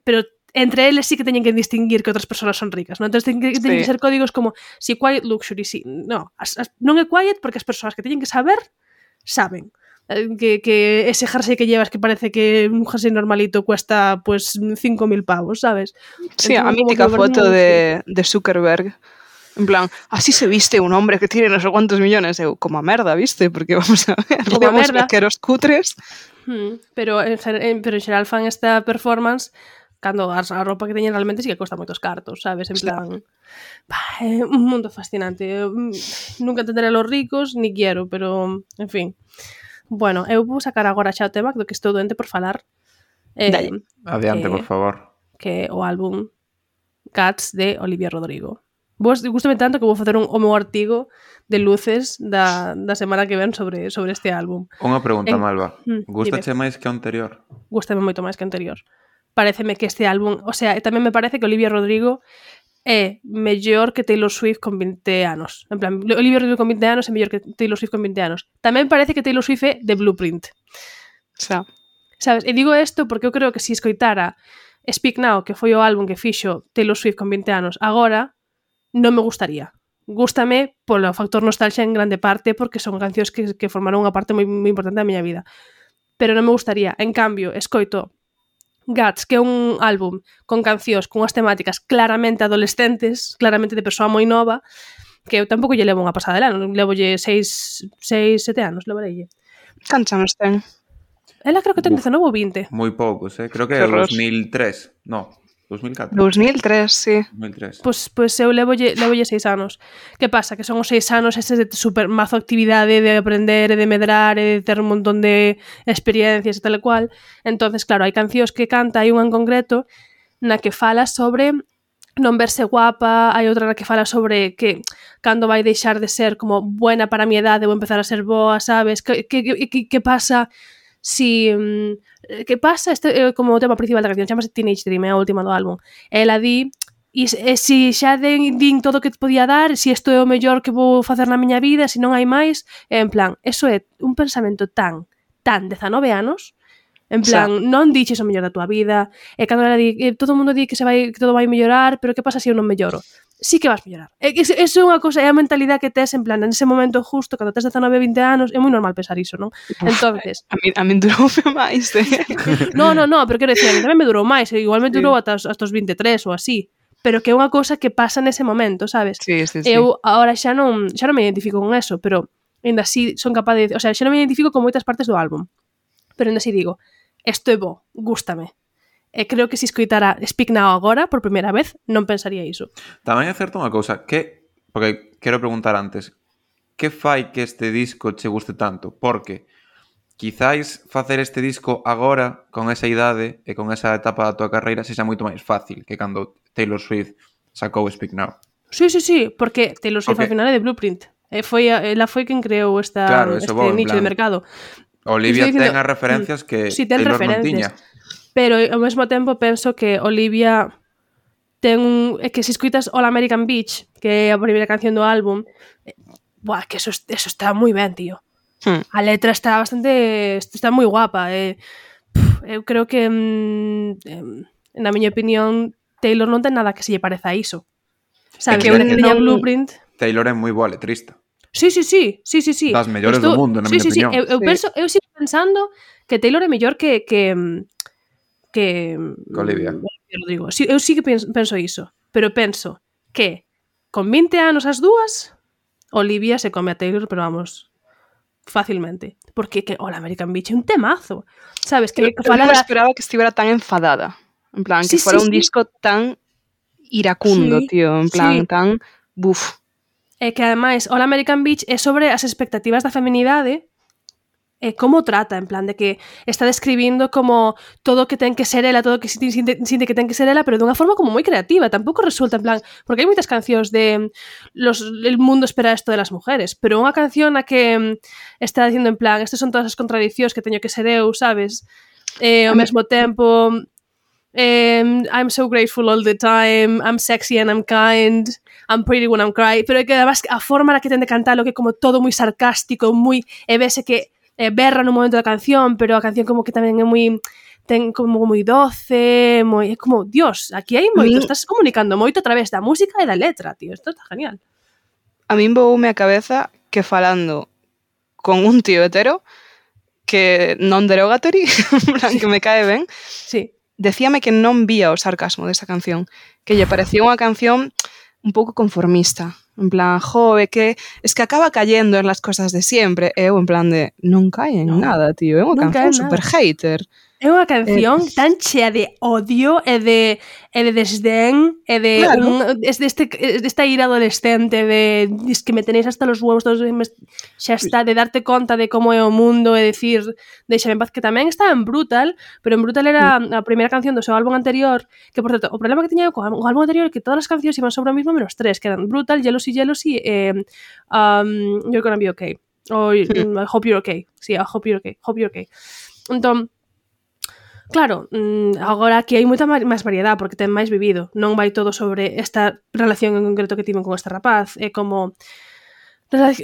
pero entre eles sí que teñen que distinguir que outras persoas son ricas, non? Entón teñen que ser códigos como si quiet luxury, si, no, non é quiet porque as persoas que teñen que saber, saben que ese jersey que llevas que parece que un jersey normalito cuesta pues 5.000 pavos, sabes?
Sí, a mítica foto de Zuckerberg, en plan, así se viste un hombre que tiene no sé cuántos millones, como a merda, ¿viste? Porque vamos a ver, como a merda, que eros cutres.
Pero en xeral fan esta performance cando a roupa que teñen realmente sí que cuesta moitos cartos, sabes? En plan, é un mundo fascinante. Nunca entenderé a los ricos, ni quiero, pero, en fin. Bueno, eu vou sacar agora xa o tema do que estou doente por falar.
Adiante, por favor.
Que o álbum Cats de Olivia Rodrigo. Gústame tanto que vou facer o meu artigo de luces da semana que ven sobre este álbum.
Unha pregunta, Malva. Gústache máis que o anterior?
Gústame moito máis que o anterior. Paréceme que este álbum, o sea, tamén me parece que Olivia Rodrigo é mellor que Taylor Swift con 20 anos. En plan, Olivia Rodrigo con 20 anos é mellor que Taylor Swift con 20 anos. Tamén parece que Taylor Swift é de Blueprint.
Xa.
Sabes? E digo isto porque eu creo que se escoitara Speak Now, que foi o álbum que fixo Taylor Swift con 20 anos, agora non me gustaría. Gústame polo factor nostalgia en grande parte porque son cancións que formaron unha parte moi importante da miña vida. Pero non me gustaría. En cambio, escoito Guts, que é un álbum con cancións con unhas temáticas claramente adolescentes, claramente de persoa moi nova, que eu tampouco lle levo unha pasada de ano, levolle 7 anos, levareille.
Cantos anos ten?
Ela creo que ten 19 ou 20.
Moi poucos, creo que
Que
é
horror.
2003. No, 2004.
2003, sí.
2003.
Pois eu levolle 6 anos. Que pasa? Que son os 6 anos estes de super mazo actividade de aprender e de medrar e de ter un montón de experiencias e tal e cual. Entonces, claro, hai cancións que canta, hai unha en concreto na que fala sobre non verse guapa, hai outra na que fala sobre que cando vai deixar de ser como buena para a mi edade ou empezar a ser boa, sabes? Que pasa si que pasa este como o tema principal da canción, chamase Teenage Dream, é a última do álbum. Ela di e si xa din todo o que te podía dar, si isto é o mellor que vou facer na miña vida, si non hai máis, en plan, eso é un pensamento tan 19 anos, en plan, non diches o mellor da tua vida, e cando ela di, todo o mundo di que todo vai mellorar, pero que pasa se eu non melloro? Sí que vas mellorar. Eso é unha cosa, é a mentalidade que tes en plan, en ese momento justo, cando tes 19, 20 anos, é moi normal pensar iso, non? Entonces,
a min duroume máis,
No, pero quero dicir, a mí tamén me durou máis, igual me durou ata os 23 ou así, pero que é unha cosa que pasa nese momento, sabes?
Sí.
Eu agora xa non me identifico con eso, pero ainda así son capaz de, o sea, xa non me identifico con moitas partes do álbum. Pero ainda así digo, isto é bo, gústame. E creo que se escoitara Speak Now agora, por primeira vez, non pensaría iso.
Tamén é certo unha cousa, porque quero preguntar antes, que fai que este disco che guste tanto? Porque quizáis facer este disco agora, con esa idade e con esa etapa da tua carreira, sexa moito máis fácil que cando Taylor Swift sacou Speak Now.
Sí, porque Taylor Swift ao final é de Blueprint. Ela foi quen creou este nicho de mercado.
Olivia ten as referencias que Taylor non tiña.
Pero ao mesmo tempo penso que Olivia é que se escuitas All American Beach, que é a primeira canción do álbum, que eso está moi ben, tío. A letra está moi guapa. Eu creo que na miña opinión Taylor non ten nada que se lle pareza a iso. Sabes, que tiña Blueprint.
Taylor é moi boa letrista.
Sí.
Das mellores do mundo, na miña opinión.
Eu sigo pensando que Taylor é mellor que
Olivia.
Rodrigo. Eu sí que penso iso, pero penso que con 20 anos as dúas, Olivia se come a Taylor, pero vamos, fácilmente. Porque que All American Beach é un temazo. Sabes, que
fala non esperaba que estivera tan enfadada. En plan, que fora un disco tan iracundo, tío, en plan, tan buf.
E que ademais All American Beach é sobre as expectativas da feminidade e como trata, en plan, de que está describindo como todo o que ten que ser ela, todo o que sinte que ten que ser ela, pero dunha forma como moi creativa, tampouco resulta, en plan, porque hai moitas cancións de el mundo espera esto de las mujeres, pero unha canción na que está dicindo, en plan, estas son todas as contradicións que teño que ser eu, sabes? Ao mesmo tempo, I'm so grateful all the time, I'm sexy and I'm kind, I'm pretty when I'm crying, pero é que además a forma na que ten de cantar, lo que é como todo moi sarcástico, moi, e vese que berra no momento da canción, pero a canción como que tamén é moi, ten como moi doce, moi, é como, Dios, aquí hai moito, estás comunicando moito a través da música e da letra, tío, isto está genial.
A min voume a cabeza que falando con un tío hetero que non derogatory, que me cae ben, decíame que non vía o sarcasmo desa canción, que lle parecía unha canción un pouco conformista, en plan, que es que acaba cayendo en las cosas de siempre, eu en plan de, non cae en nada, tío, é unha canción super hater.
É unha canción tan chea de odio e de desdén e de desta ira adolescente de que me tenéis hasta los huevos todos, xa está, de darte conta de como é o mundo e decir, deixame en paz, que tamén está en Brutal, pero en Brutal era a primeira canción do seu álbum anterior, que por certo, o problema que tiña co álbum anterior é que todas as cancións iban sobre o mismo menos 3, que eran Brutal, Jealousy e You're Gonna Be Okay, or I Hope You're Okay. Sí, I Hope You're Okay. Entón, Claro, agora aquí hai moita máis variedade porque ten máis vivido. Non vai todo sobre esta relación en concreto que tiven con este rapaz. É como unha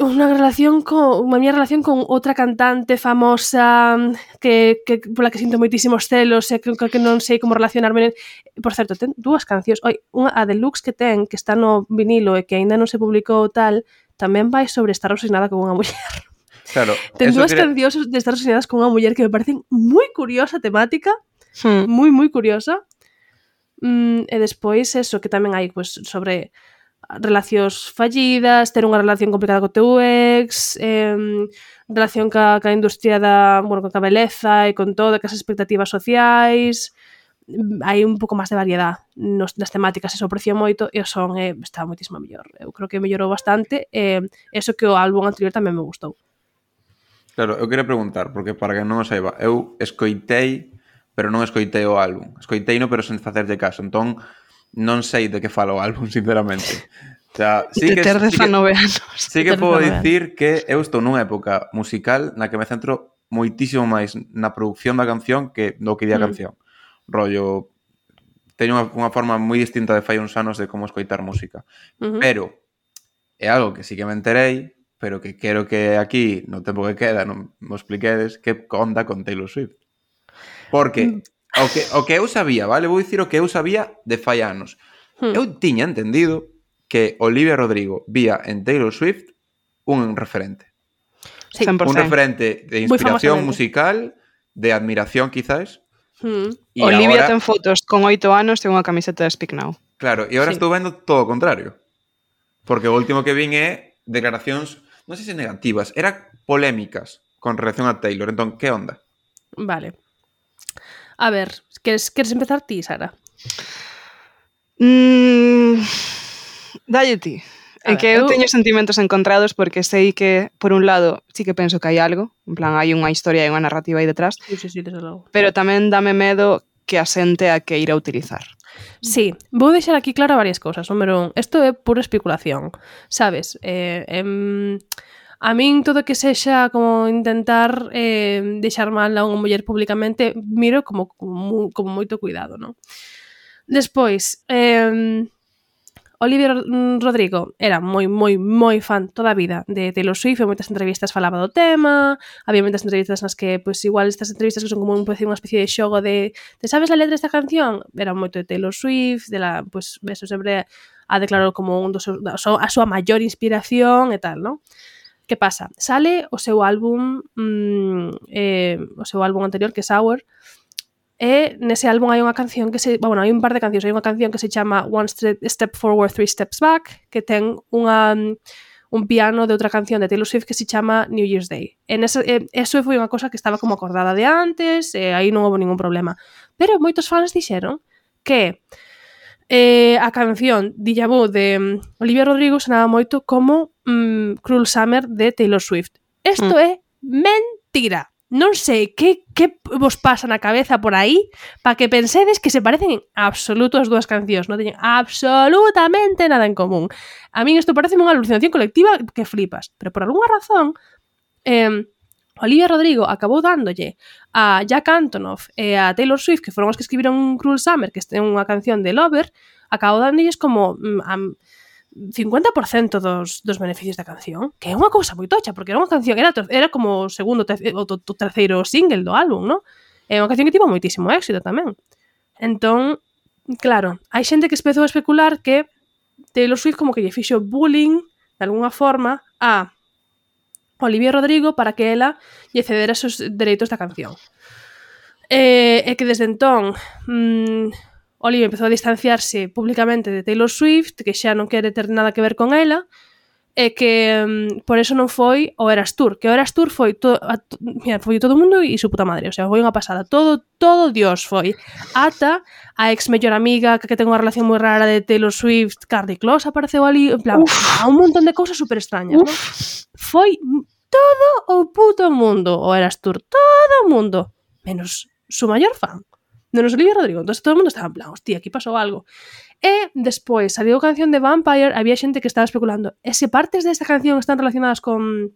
miña relación con outra cantante famosa que pola que sinto moitísimos celos e que non sei como relacionarme. Por certo, ten dúas cancións. Unha, a deluxe que ten, que está no vinilo e que aínda non se publicou tal, tamén vai sobre estar obsesionada con unha muller.
Claro,
Ten dúas cancións de estar obsesionadas con unha muller que me parecen moi curiosa temática, moi curiosa. E despois eso, que tamén hai pues, sobre relacións fallidas, ter unha relación complicada co teu ex, relación ca industria ca beleza e con todo, que as expectativas sociais. Hai un pouco máis de variedade nas temáticas, eso aprecio moito e o son está moitísimo mellor. Eu creo que mellorou bastante e eso que o álbum anterior tamén me gustou.
Claro, eu queria preguntar, porque para que non o saiba, eu escoitei, pero non escoitei o álbum. Escoiteino, pero sen facerlle caso. Entón, non sei de que fala o álbum, sinceramente. O sea, sí que
19 anos.
Sí que podo dicir que eu estou nunha época musical na que me centro moitísimo máis na produción da canción que no que di a canción. Rollo, teño unha forma moi distinta de fai uns anos de como escoitar música. Pero é algo que sí que me enterei, pero que quero que aquí, no tempo que queda, non me expliquedes que onda con Taylor Swift. Porque o que eu sabía, vale? Vou dicir o que eu sabía de fai anos. Eu tiña entendido que Olivia Rodrigo vía en Taylor Swift un referente.
Sí,
100%.
Un referente de inspiración musical, de admiración, quizás.
Olivia ahora ten fotos con 8 anos e unha camiseta de Speak Now.
Claro, e agora estou vendo todo o contrario. Porque o último que vin é declaracións, non sei se negativas, eran polémicas con relación a Taylor. Entón, que onda?
Vale. A ver, queres empezar ti, Sara?
Dalle ti. É que eu teño sentimentos encontrados porque sei que, por un lado, sí que penso que hai algo, en plan, hai unha historia e unha narrativa aí detrás,
Sí, desde logo.
Pero tamén dame medo que a xente a que ir a utilizar.
Sí, vou deixar aquí claro varias cousas. Número 1, isto é pura especulación, sabes? A min todo que sexa como intentar deixar mal a unha muller públicamente miro como moito cuidado, non? Despois, Olivia Rodrigo era moi fan toda a vida de Taylor Swift, e moitas entrevistas falaba do tema, había moitas entrevistas nas que, pois, igual estas entrevistas que son como unha especie de xogo de sabes a letra desta canción? Era moito de Taylor Swift, pois, eso sempre a declarou como a súa maior inspiración e tal, non? Que pasa? Sale o seu álbum anterior, que é Sour, e nese álbum hai unha canción que hai un par de cancións, hai unha canción que se chama One Step Forward, Three Steps Back, que ten un piano de outra canción de Taylor Swift que se chama New Year's Day. Eso foi unha cosa que estaba como acordada de antes, e aí non houve ningún problema. Pero moitos fans dixeron que a canción Deja Vu de Olivia Rodrigo sonaba moito como Cruel Summer de Taylor Swift. Isto é mentira. Non sei que vos pasa na cabeza por aí para que pensedes que se parecen en absoluto as dúas cancións. Non teñen absolutamente nada en común. A min isto parece unha alucinación colectiva que flipas. Pero por algunha razón Olivia Rodrigo acabou dándolle a Jack Antonoff e a Taylor Swift, que foron os que escribiron Cruel Summer, que é unha canción de Lover, acabou dándolles como 50% dos beneficios da canción, que é unha cousa moi tocha, porque era unha canción, era como o segundo o terceiro single do álbum, non? É unha canción que tivo moitísimo éxito tamén. Entón, claro, hai xente que empezou a especular que Taylor Swift como que lle fixo bullying de alguna forma a Olivia Rodrigo para que ela lle cedera os seus dereitos da canción. E que desde entón Olivia empezou a distanciarse públicamente de Taylor Swift, que xa non quere ter nada que ver con ela, e que por eso non foi o Eras Tour, que o Eras Tour foi todo o mundo e su puta madre, o sea, foi unha pasada, todo Dios foi, ata a ex mellor amiga que ten unha relación moi rara de Taylor Swift, Carly Close apareceu ali, en plan, a un montón de cousas super extrañas, non? Foi todo o puto mundo o Eras Tour, todo o mundo, menos su maior fan, menos Olivia Rodrigo. Entón todo o mundo estaba en plan, hostia, aquí pasou algo. E despois saliu a canción de Vampire, había xente que estaba especulando, e se partes desta canción están relacionadas con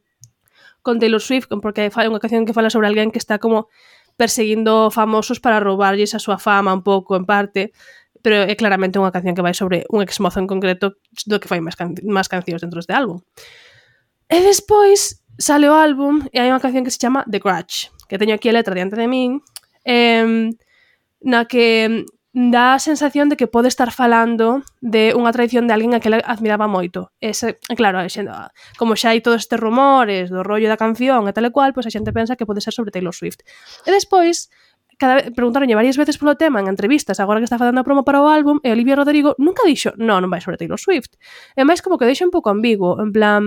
Taylor Swift, porque fai unha canción que fala sobre alguén que está como perseguindo famosos para roubarlles a súa fama un pouco en parte, pero é claramente unha canción que vai sobre un exmozo en concreto do que fai máis cancións dentro deste álbum. E despois sale o álbum e hai unha canción que se chama The Grudge, que teño aquí a letra diante de min, na que dá a sensación de que pode estar falando de unha traición de alguén a que ela admiraba moito. Claro, como xa hai todos estes rumores do rollo da canción e tal e cual, pois a xente pensa que pode ser sobre Taylor Swift. E despois, preguntaronlle varias veces polo tema en entrevistas, agora que está facendo a promo para o álbum, e Olivia Rodrigo nunca dixo, non vai sobre Taylor Swift. E máis como que deixa un pouco ambiguo, en plan...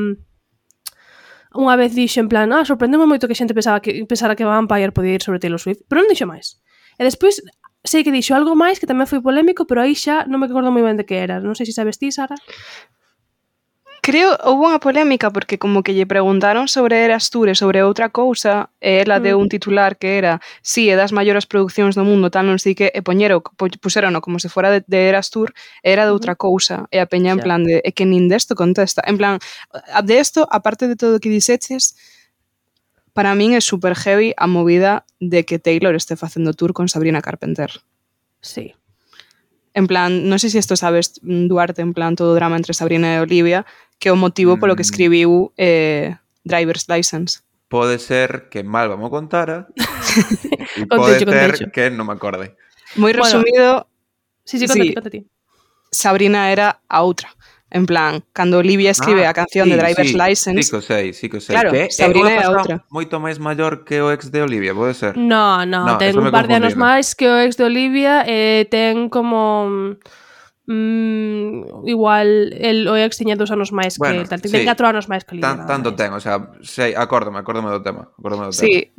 Unha vez dixo en plan, sorprendeme moito que a xente pensara que Vampire podía ir sobre Taylor Swift, pero non dixo máis. E despois sei que dixo algo máis que tamén foi polémico, pero aí xa non me acordo moi ben de que era. Non sei se sabes ti, Sara.
Creo, houve unha polémica porque como que lle preguntaron sobre Eras Tour e sobre outra cousa e ela deu un titular que era é das maiores producións do mundo, tal non sei que, e puserono como se fora de Eras Tour e era de outra cousa e a peña en plan de, é que nin desto contesta, en plan, de esto, aparte de todo o que dixeches, para min é super heavy a movida de que Taylor este facendo tour con Sabrina Carpenter.
Sí.
En plan, non sei se isto sabes, Duarte, en plan todo o drama entre Sabrina e Olivia, que é o motivo polo que escribiu Driver's License.
Pode ser que Malva mo contara e pode ser que non me acorde.
Moi resumido...
Sí, conta ti.
Sabrina era a outra. En plan, cando Olivia escribe a canción de Driver's License...
Sí que sei.
Claro,
que
Sabrina é a outra.
Moito máis maior que o ex de Olivia, pode ser?
No, ten un par de anos máis que o ex de Olivia e ten como... igual o ex tiña 2 anos máis que tal, ten 4 anos máis que Olivia.
Tanto ten, o sea, sei, acórdame do tema.
Sí,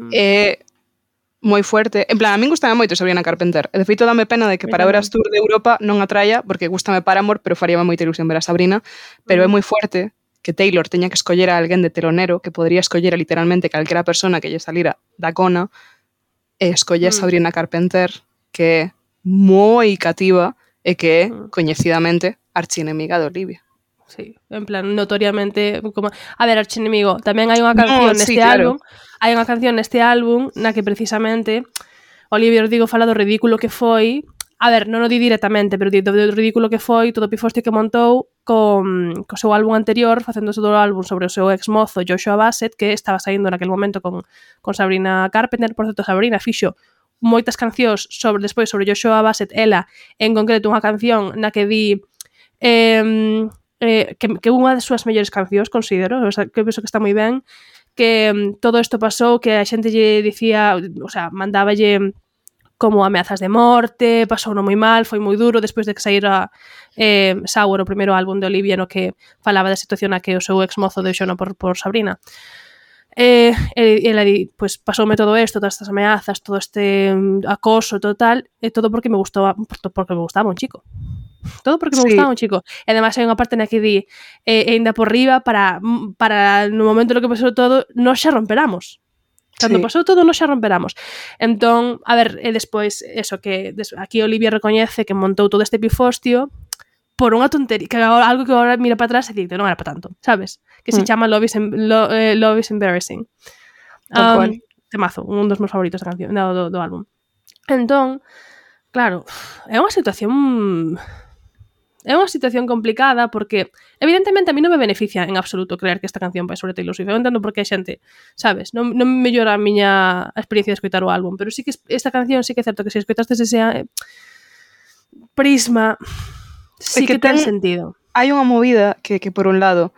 moi fuerte. En plan, a min gustame moito Sabrina Carpenter. E de feito dame pena de que para Eras Tour de Europa non atraia, porque gustame Paramore, pero faríame moita ilusión ver a Sabrina, pero é moi fuerte que Taylor teña que escoller a alguén de telonero, que podría escoller a literalmente calquera persona que lle salira da cona, e escolle a Sabrina Carpenter, que é moi cativa e que é, coñecidamente, archienemiga de Olivia.
Sí, en plan, notoriamente como... A ver, archienemigo, tamén hai unha canción neste álbum, hai unha canción neste álbum na que precisamente Olivia Rodrigo fala do ridículo que foi, a ver, non o di directamente, pero do ridículo que foi todo o pifostio que montou co seu álbum anterior, facendo todo o álbum sobre o seu ex-mozo Joshua Bassett, que estaba saindo naquele momento con Sabrina Carpenter. Por certo, Sabrina fixo moitas cancións despois sobre Joshua Bassett, ela, en concreto unha canción na que di que unha das súas mellores cancións, considero, o sea, que penso que está moi ben, que todo isto pasou, que a xente lle dicía, o sea, mandáballe como ameazas de morte, pasou moi mal, foi moi duro, despois de que saíra Sour, o primeiro álbum de Olivia, no que falaba da situación a que o seu ex-mozo deixou por Sabrina. Ela di, pues pasoume todo isto, todas estas ameazas, todo este acoso total, e todo porque me gustaba un chico. Todo porque me gustaba un chico. E ademais hai unha parte na que di ainda por riba para no momento no que pasou todo nos xa romperamos. Cando pasou todo nos xa romperamos. Entón, a ver, e despois eso, que aquí Olivia recoñece que montou todo este pifostio por unha tontería, que algo que agora mira para atrás e di que non era para tanto, sabes? Que se chama Love is Embarrassing. Temazo, un dos meus favoritos da canción, do álbum. Entón, claro, é unha situación complicada porque evidentemente a mí non me beneficia en absoluto creer que esta canción vai sobre Taylor Swift. Eu entendo porque a xente, sabes, non me mellora a miña experiencia de escoitar o álbum, pero sí que esta canción sí que é certo que se escoitastes ese prisma sí que ten sentido.
Hai unha movida que por un lado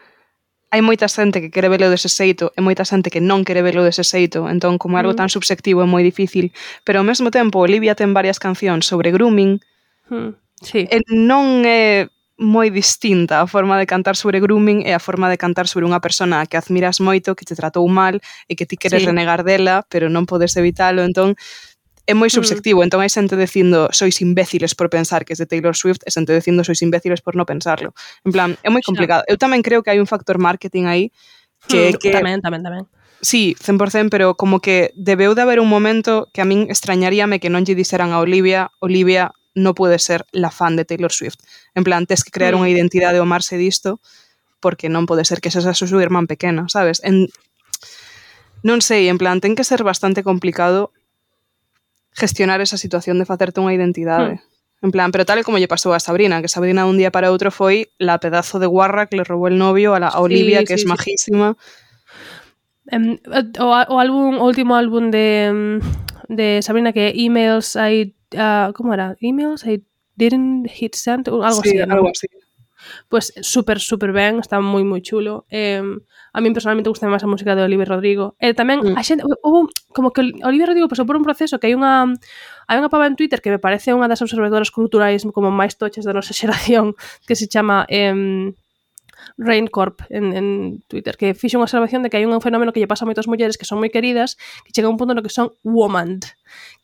hai moita xente que quere velo dese xeito e moita xente que non quere velo dese xeito, entón como algo tan subjetivo é moi difícil, pero ao mesmo tempo Olivia ten varias cancións sobre grooming.
Sí.
E non é moi distinta a forma de cantar sobre grooming e a forma de cantar sobre unha persona que admiras moito, que te tratou mal e que ti queres renegar dela, pero non podes evitalo, entón é moi subjetivo, entón hai xente dicindo sois imbéciles por pensar que é de Taylor Swift e xente dicindo sois imbéciles por non pensarlo. En plan, é moi complicado. Eu tamén creo que hai un factor marketing aí que
tamén.
Sí, 100%, pero como que debeu de haber un momento que a min extrañaríame que non lle dixeran a Olivia non pode ser la fan de Taylor Swift. En plan, tes que crear unha identidade ao marxe disto porque non pode ser que esa súa irmán pequena, sabes? Non sei, en plan, ten que ser bastante complicado gestionar esa situación de facerte unha identidade. En plan, pero tal e como lle pasou a Sabrina, que Sabrina un día para outro foi la pedazo de guarra que le robó el novio a Olivia, que es majísima.
O último álbum de Sabrina, que Emails I... ¿cómo era? Emails I didn't hit send, algo así.
Algo así.
Pues súper, súper ben, está moi, moi chulo. A mí personalmente gusta máis a música de Olivia Rodrigo. Tamén, a xente, houve, como que Olivia Rodrigo pasou por un proceso que hai unha pava en Twitter que me parece unha das observadoras culturais como máis tochas da nosa xeración, que se chama Raincorp en Twitter, que fixe unha observación de que hai un fenómeno que lle pasa a moitas mulleres que son moi queridas, que chega a un punto no que son woman,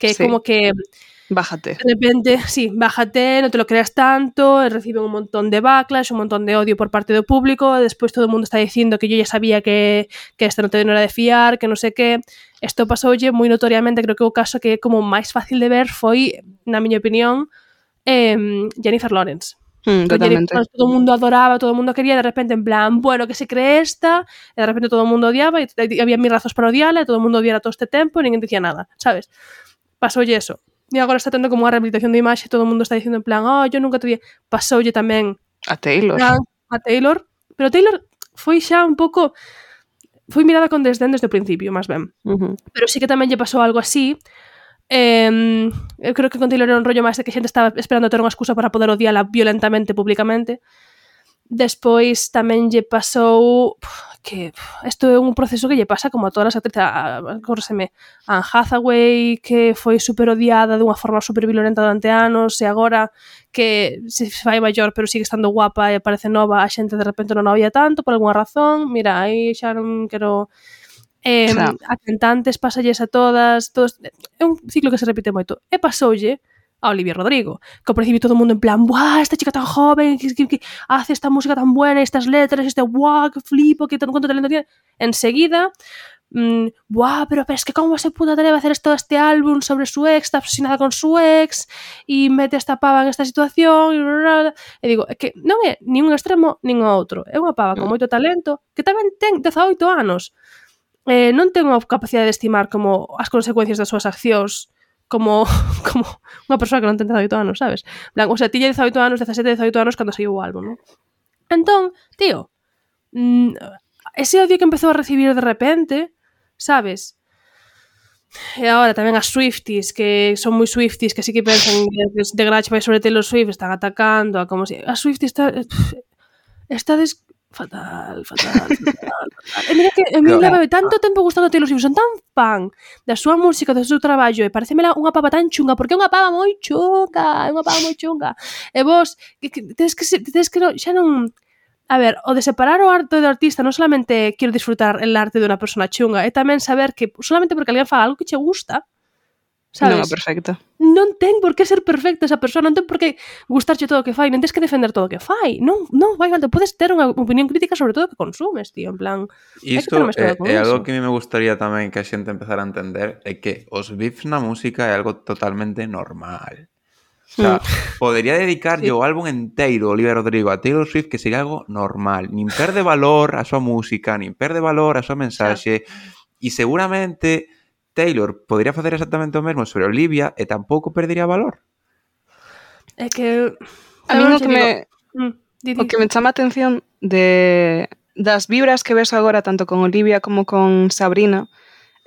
que é como que
bájate.
De repente, sí, bájate, no te lo creas tanto, reciben un montón de backlash, un montón de odio por parte do público, despois todo o mundo está dicindo que yo ya sabía que esta no era de fiar, que non sei que. Isto pasoulle moi notoriamente, creo que o caso que é como máis fácil de ver foi, na miña opinión, Jennifer Lawrence.
Totalmente.
Todo o mundo adoraba, todo o mundo quería, de repente en plan, bueno, que se cree esta, e de repente todo o mundo odiaba, e había mil razóns para odiarla, e todo o mundo odiara todo este tempo, e ninguén dicía nada, sabes? Pasoulle eso. E agora está tendo como unha rehabilitación de imaxe, todo o mundo está dicindo en plan, yo nunca te vi. Pasoulle tamén
a Taylor.
Pero Taylor foi xa un pouco... Foi mirada con desdén desde o principio, máis ben. Pero sí que tamén lle pasou algo así. Eu creo que con Taylor era un rollo máis de que a xente estaba esperando ter unha excusa para poder odiala violentamente, públicamente. Despois tamén lle pasou que isto é un proceso que lle pasa como a todas as actrices, Anne Hathaway, que foi super odiada dunha forma super violenta durante anos, e agora que se fai maior pero sigue estando guapa e parece nova, a xente de repente non a odia tanto por algunha razón. Mira, aí xa non quero... a cantantes pasalles a todas, é un ciclo que se repite moito. E pasoulle a Olivia Rodrigo, que ao principio todo o mundo en plan, ¡buah, esta chica tan joven, que hace esta música tan buena, estas letras, ¡buah, que flipo, que cuánto talento tiene! Enseguida, ¡buah, pero es que cómo se pudo atrever a hacer todo este álbum sobre su ex, está obsesionada con su ex, y mete esta pava en esta situación, e digo, é que non é nin un extremo nin o outro, é unha pava con moito talento, que tamén ten 18 anos, non ten a capacidade de estimar como as consecuencias das súas accións, como unha persoa que non ten 18 anos, sabes? O sea, tiña 18 anos, 17, 18 anos cando saiu o álbum, non? Entón, tío, ese odio que empezou a recibir de repente, sabes? E agora tamén as Swifties, que son moi Swifties, que sí que pensan de Grach vai sobre Taylor Swift, están atacando a como si... As Swifties está fatal. E mira que a mí leva tanto tempo gustando Taylor Swift, son tan fan da súa música, do seu traballo, e pareceme unha pava tan chunga, porque é unha pava moi chunga, e vos tedes que xa non... A ver, o de separar o arte do artista non solamente quero disfrutar el arte de unha persona chunga, é tamén saber que solamente porque alguén faga algo que che gusta, sabes?
Non é perfecta.
Non ten por que ser perfecta esa persona, non ten por que gustarche todo o que fai, non tens que defender todo o que fai. Non, vai falta, podes ter unha opinión crítica sobre todo o que consumes, tío, en plan...
Isto é algo que a mí me gustaría tamén que a xente empezara a entender, é que os beefs na música é algo totalmente normal. O sea, podería dedicar o álbum enteiro Olivia Rodrigo a Taylor Swift, que sería algo normal. Nin perde valor a súa música, nin perde valor a súa mensaxe, e seguramente Taylor podría facer exactamente o mesmo sobre Olivia e tampouco perdería valor.
É que...
A mí o que me chama a atención das vibras que ves agora tanto con Olivia como con Sabrina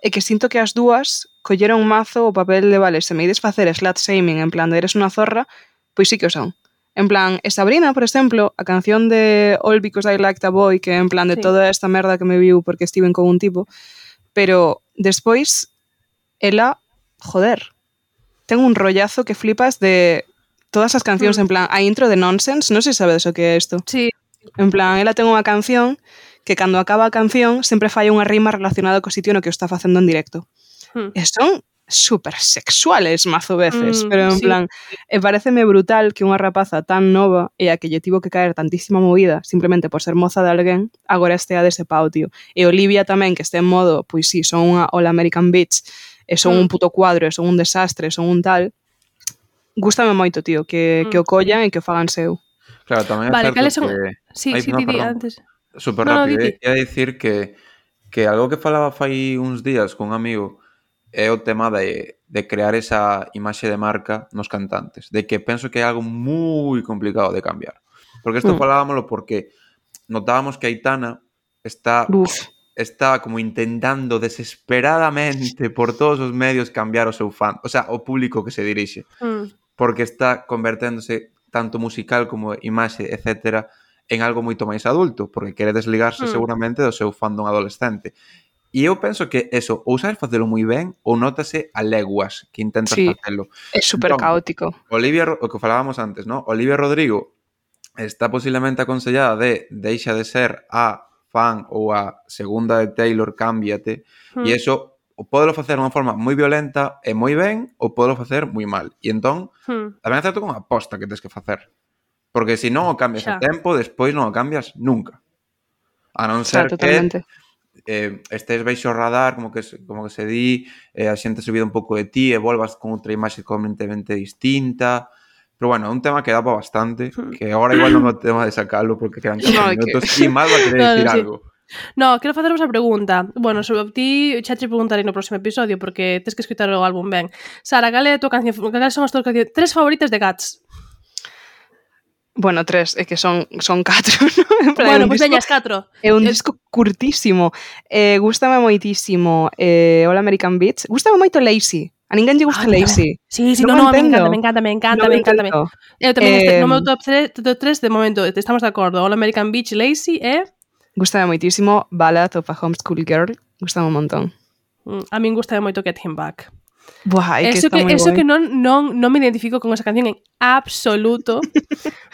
é que sinto que as dúas colleron mazo o papel de, vale, se me ides facer slut shaming en plan de eres unha zorra, pois sí que o son. En plan, Sabrina, por exemplo, a canción de All Because I Liked a Boy, que en plan de toda esta merda que me viu porque estiven con un tipo, pero despois ela, joder, ten un rollazo que flipas de todas as cancións, en plan, a intro de Nonsense, non sei se sabedes o que é isto.
Sí.
En plan, ela ten unha canción que cando acaba a canción sempre fai unha rima relacionada co sitio no que o está facendo en directo. E son super sexuales mazo veces, pero en plan, e pareceme brutal que unha rapaza tan nova e a que lle tivo que caer tantísima movida simplemente por ser moza de alguén, agora estea dese pau, tío. E Olivia tamén, que este en modo, pois sí, son unha All American Bitch, e son un puto cuadro, e son un desastre, son un tal. Gústame moito, tío, que o collan e que o fagan seu.
Claro, tamén é certo que...
Sí, di antes.
Super rápido, ia dicir que algo que falaba fai uns días con un amigo é o tema de de crear esa imaxe de marca nos cantantes, de que penso que é algo moi complicado de cambiar. Porque isto falábamoslo porque notábamos que Aitana está como intentando desesperadamente por todos os medios cambiar o seu fan, o sea, o público que se dirixe. Porque está converténdose tanto musical como imaxe, etcétera, en algo moito máis adulto, porque quere desligarse seguramente do seu fandom adolescente. E eu penso que eso, ou sabes facelo moi ben, ou nótase a leguas que intentas facelo.
É super caótico.
Olivia, o que falábamos antes, ¿no? Olivia Rodrigo está posiblemente aconsellada de deixa de ser a fan ou a segunda de Taylor, cámbiate, e eso o podelo facer de unha forma moi violenta e moi ben, ou podelo facer moi mal. E entón, tamén é certo con a aposta que tens que facer. Porque se non o cambias a tempo, despois non o cambias nunca. A non ser que estés baixo o radar, como que se di, a xente se olvida un pouco de ti e volvas con outra imaxe completamente distinta. Pero bueno, é un tema que dá para bastante, que agora igual non é o tema de sacalo porque quedan 4 minutos e mal va a querer decir algo.
No, quero faceros a pregunta. Bueno, sobre ti xa te preguntarei no próximo episodio porque tens que escoitar o álbum ben. Sara, cal é a tua canción? Cales son as tuas cancións? 3 favoritas de Guts?
Bueno, 3, é que son 4, ¿no?
Bueno, pois teñas 4.
É un disco curtísimo. Gústame moitísimo All American Beach. Gústame moito Lazy. A ninguén lle gusta Lazy.
Sí, no, me encanta. Eu tamén no meu top 3 de momento, estamos de acordo. All American Beach, Lazy e...
Gústame moitísimo Ballad of a Homeschool Girl. Gústame un montón.
A min gústame moito Get Him Back.
Buah,
eso que non me identifico con esa canción en absoluto.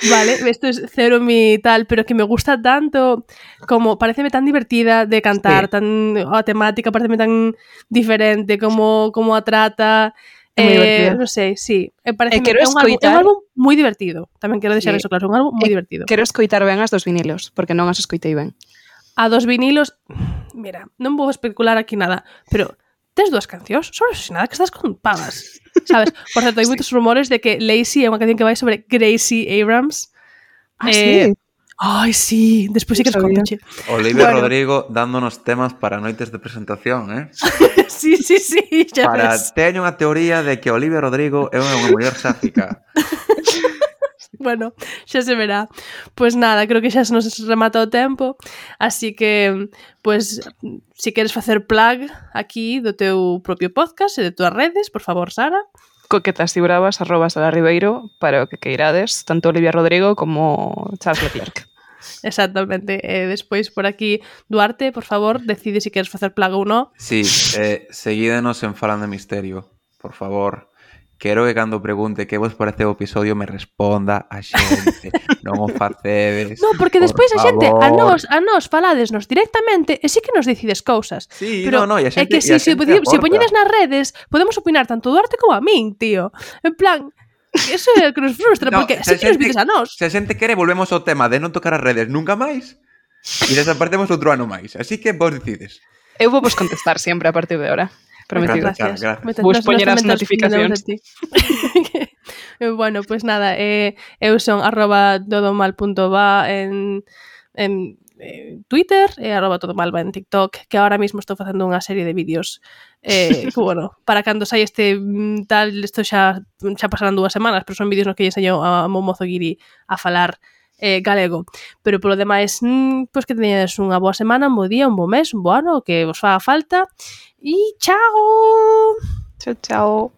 Vale, isto es cero mi tal, pero que me gusta tanto, como pareceme tan divertida de cantar, tan a temática pareceme tan diferente, como a trata. Non sei, sí. Pareceme é un álbum moi divertido. Tamén quero deixar eso claro, un álbum moi divertido.
Quero escoitar ben as dos vinilos, porque non as escoitei ben.
A dos vinilos, mira, non vou especular aquí nada, pero tes 2 cancións sobre eso, nada que estás con pagas, sabes? Por certo, hai moitos rumores de que Lazy é unha canción que vai sobre Gracie Abrams.
Sí?
Ai, sí, despois sí que te conto, che.
Olivia Rodrigo dándonos temas para noites de presentación,
Sí, xa ves.
Teño unha teoría de que Olivia Rodrigo é unha muller sáfica.
Bueno, xa se verá. Pois nada, creo que xa se nos remata o tempo, así que, pois, se queres facer plug aquí do teu propio podcast e de túas redes, por favor, Sara.
Coquetas y bravas @Sara Ribeiro para o que queirades, tanto Olivia Rodrigo como Charles Leclerc.
Exactamente. Despois por aquí, Duarte, por favor, decide se queres facer plug ou non.
Sí, seguídenos en Falando de Misterio, por favor. Quero que cando pregunte que vos parece o episodio me responda a xente. Non o facedes.
No, porque despois a xente a nós faladesnos directamente e sí que nos decides cousas.
Sí,
pero
no, e a xente,
é que se poñedes nas redes, podemos opinar tanto Duarte como a min, tío. En plan, eso é o que nos frustra, porque sí que nos dices a nós.
Se a xente quere, volvemos ao tema de non tocar as redes nunca máis e desaparecemos outro ano máis. Así que vos decides.
Eu vou vos contestar sempre a partir de ahora. Prometido.
Gracias.
Vos poñer as notificacións.
Bueno, pues nada, eu son @todomal.va en Twitter e @todomalva en TikTok, que ahora mismo estou facendo unha serie de vídeos bueno, para cando sai este tal, isto xa pasarán 2 semanas, pero son vídeos nos que lle enseño a Momozo Guiri a falar galego, pero polo demais pois que teñades unha boa semana, un bo día, un bo mes, un bo ano, que vos faga falta e chao.
Chao.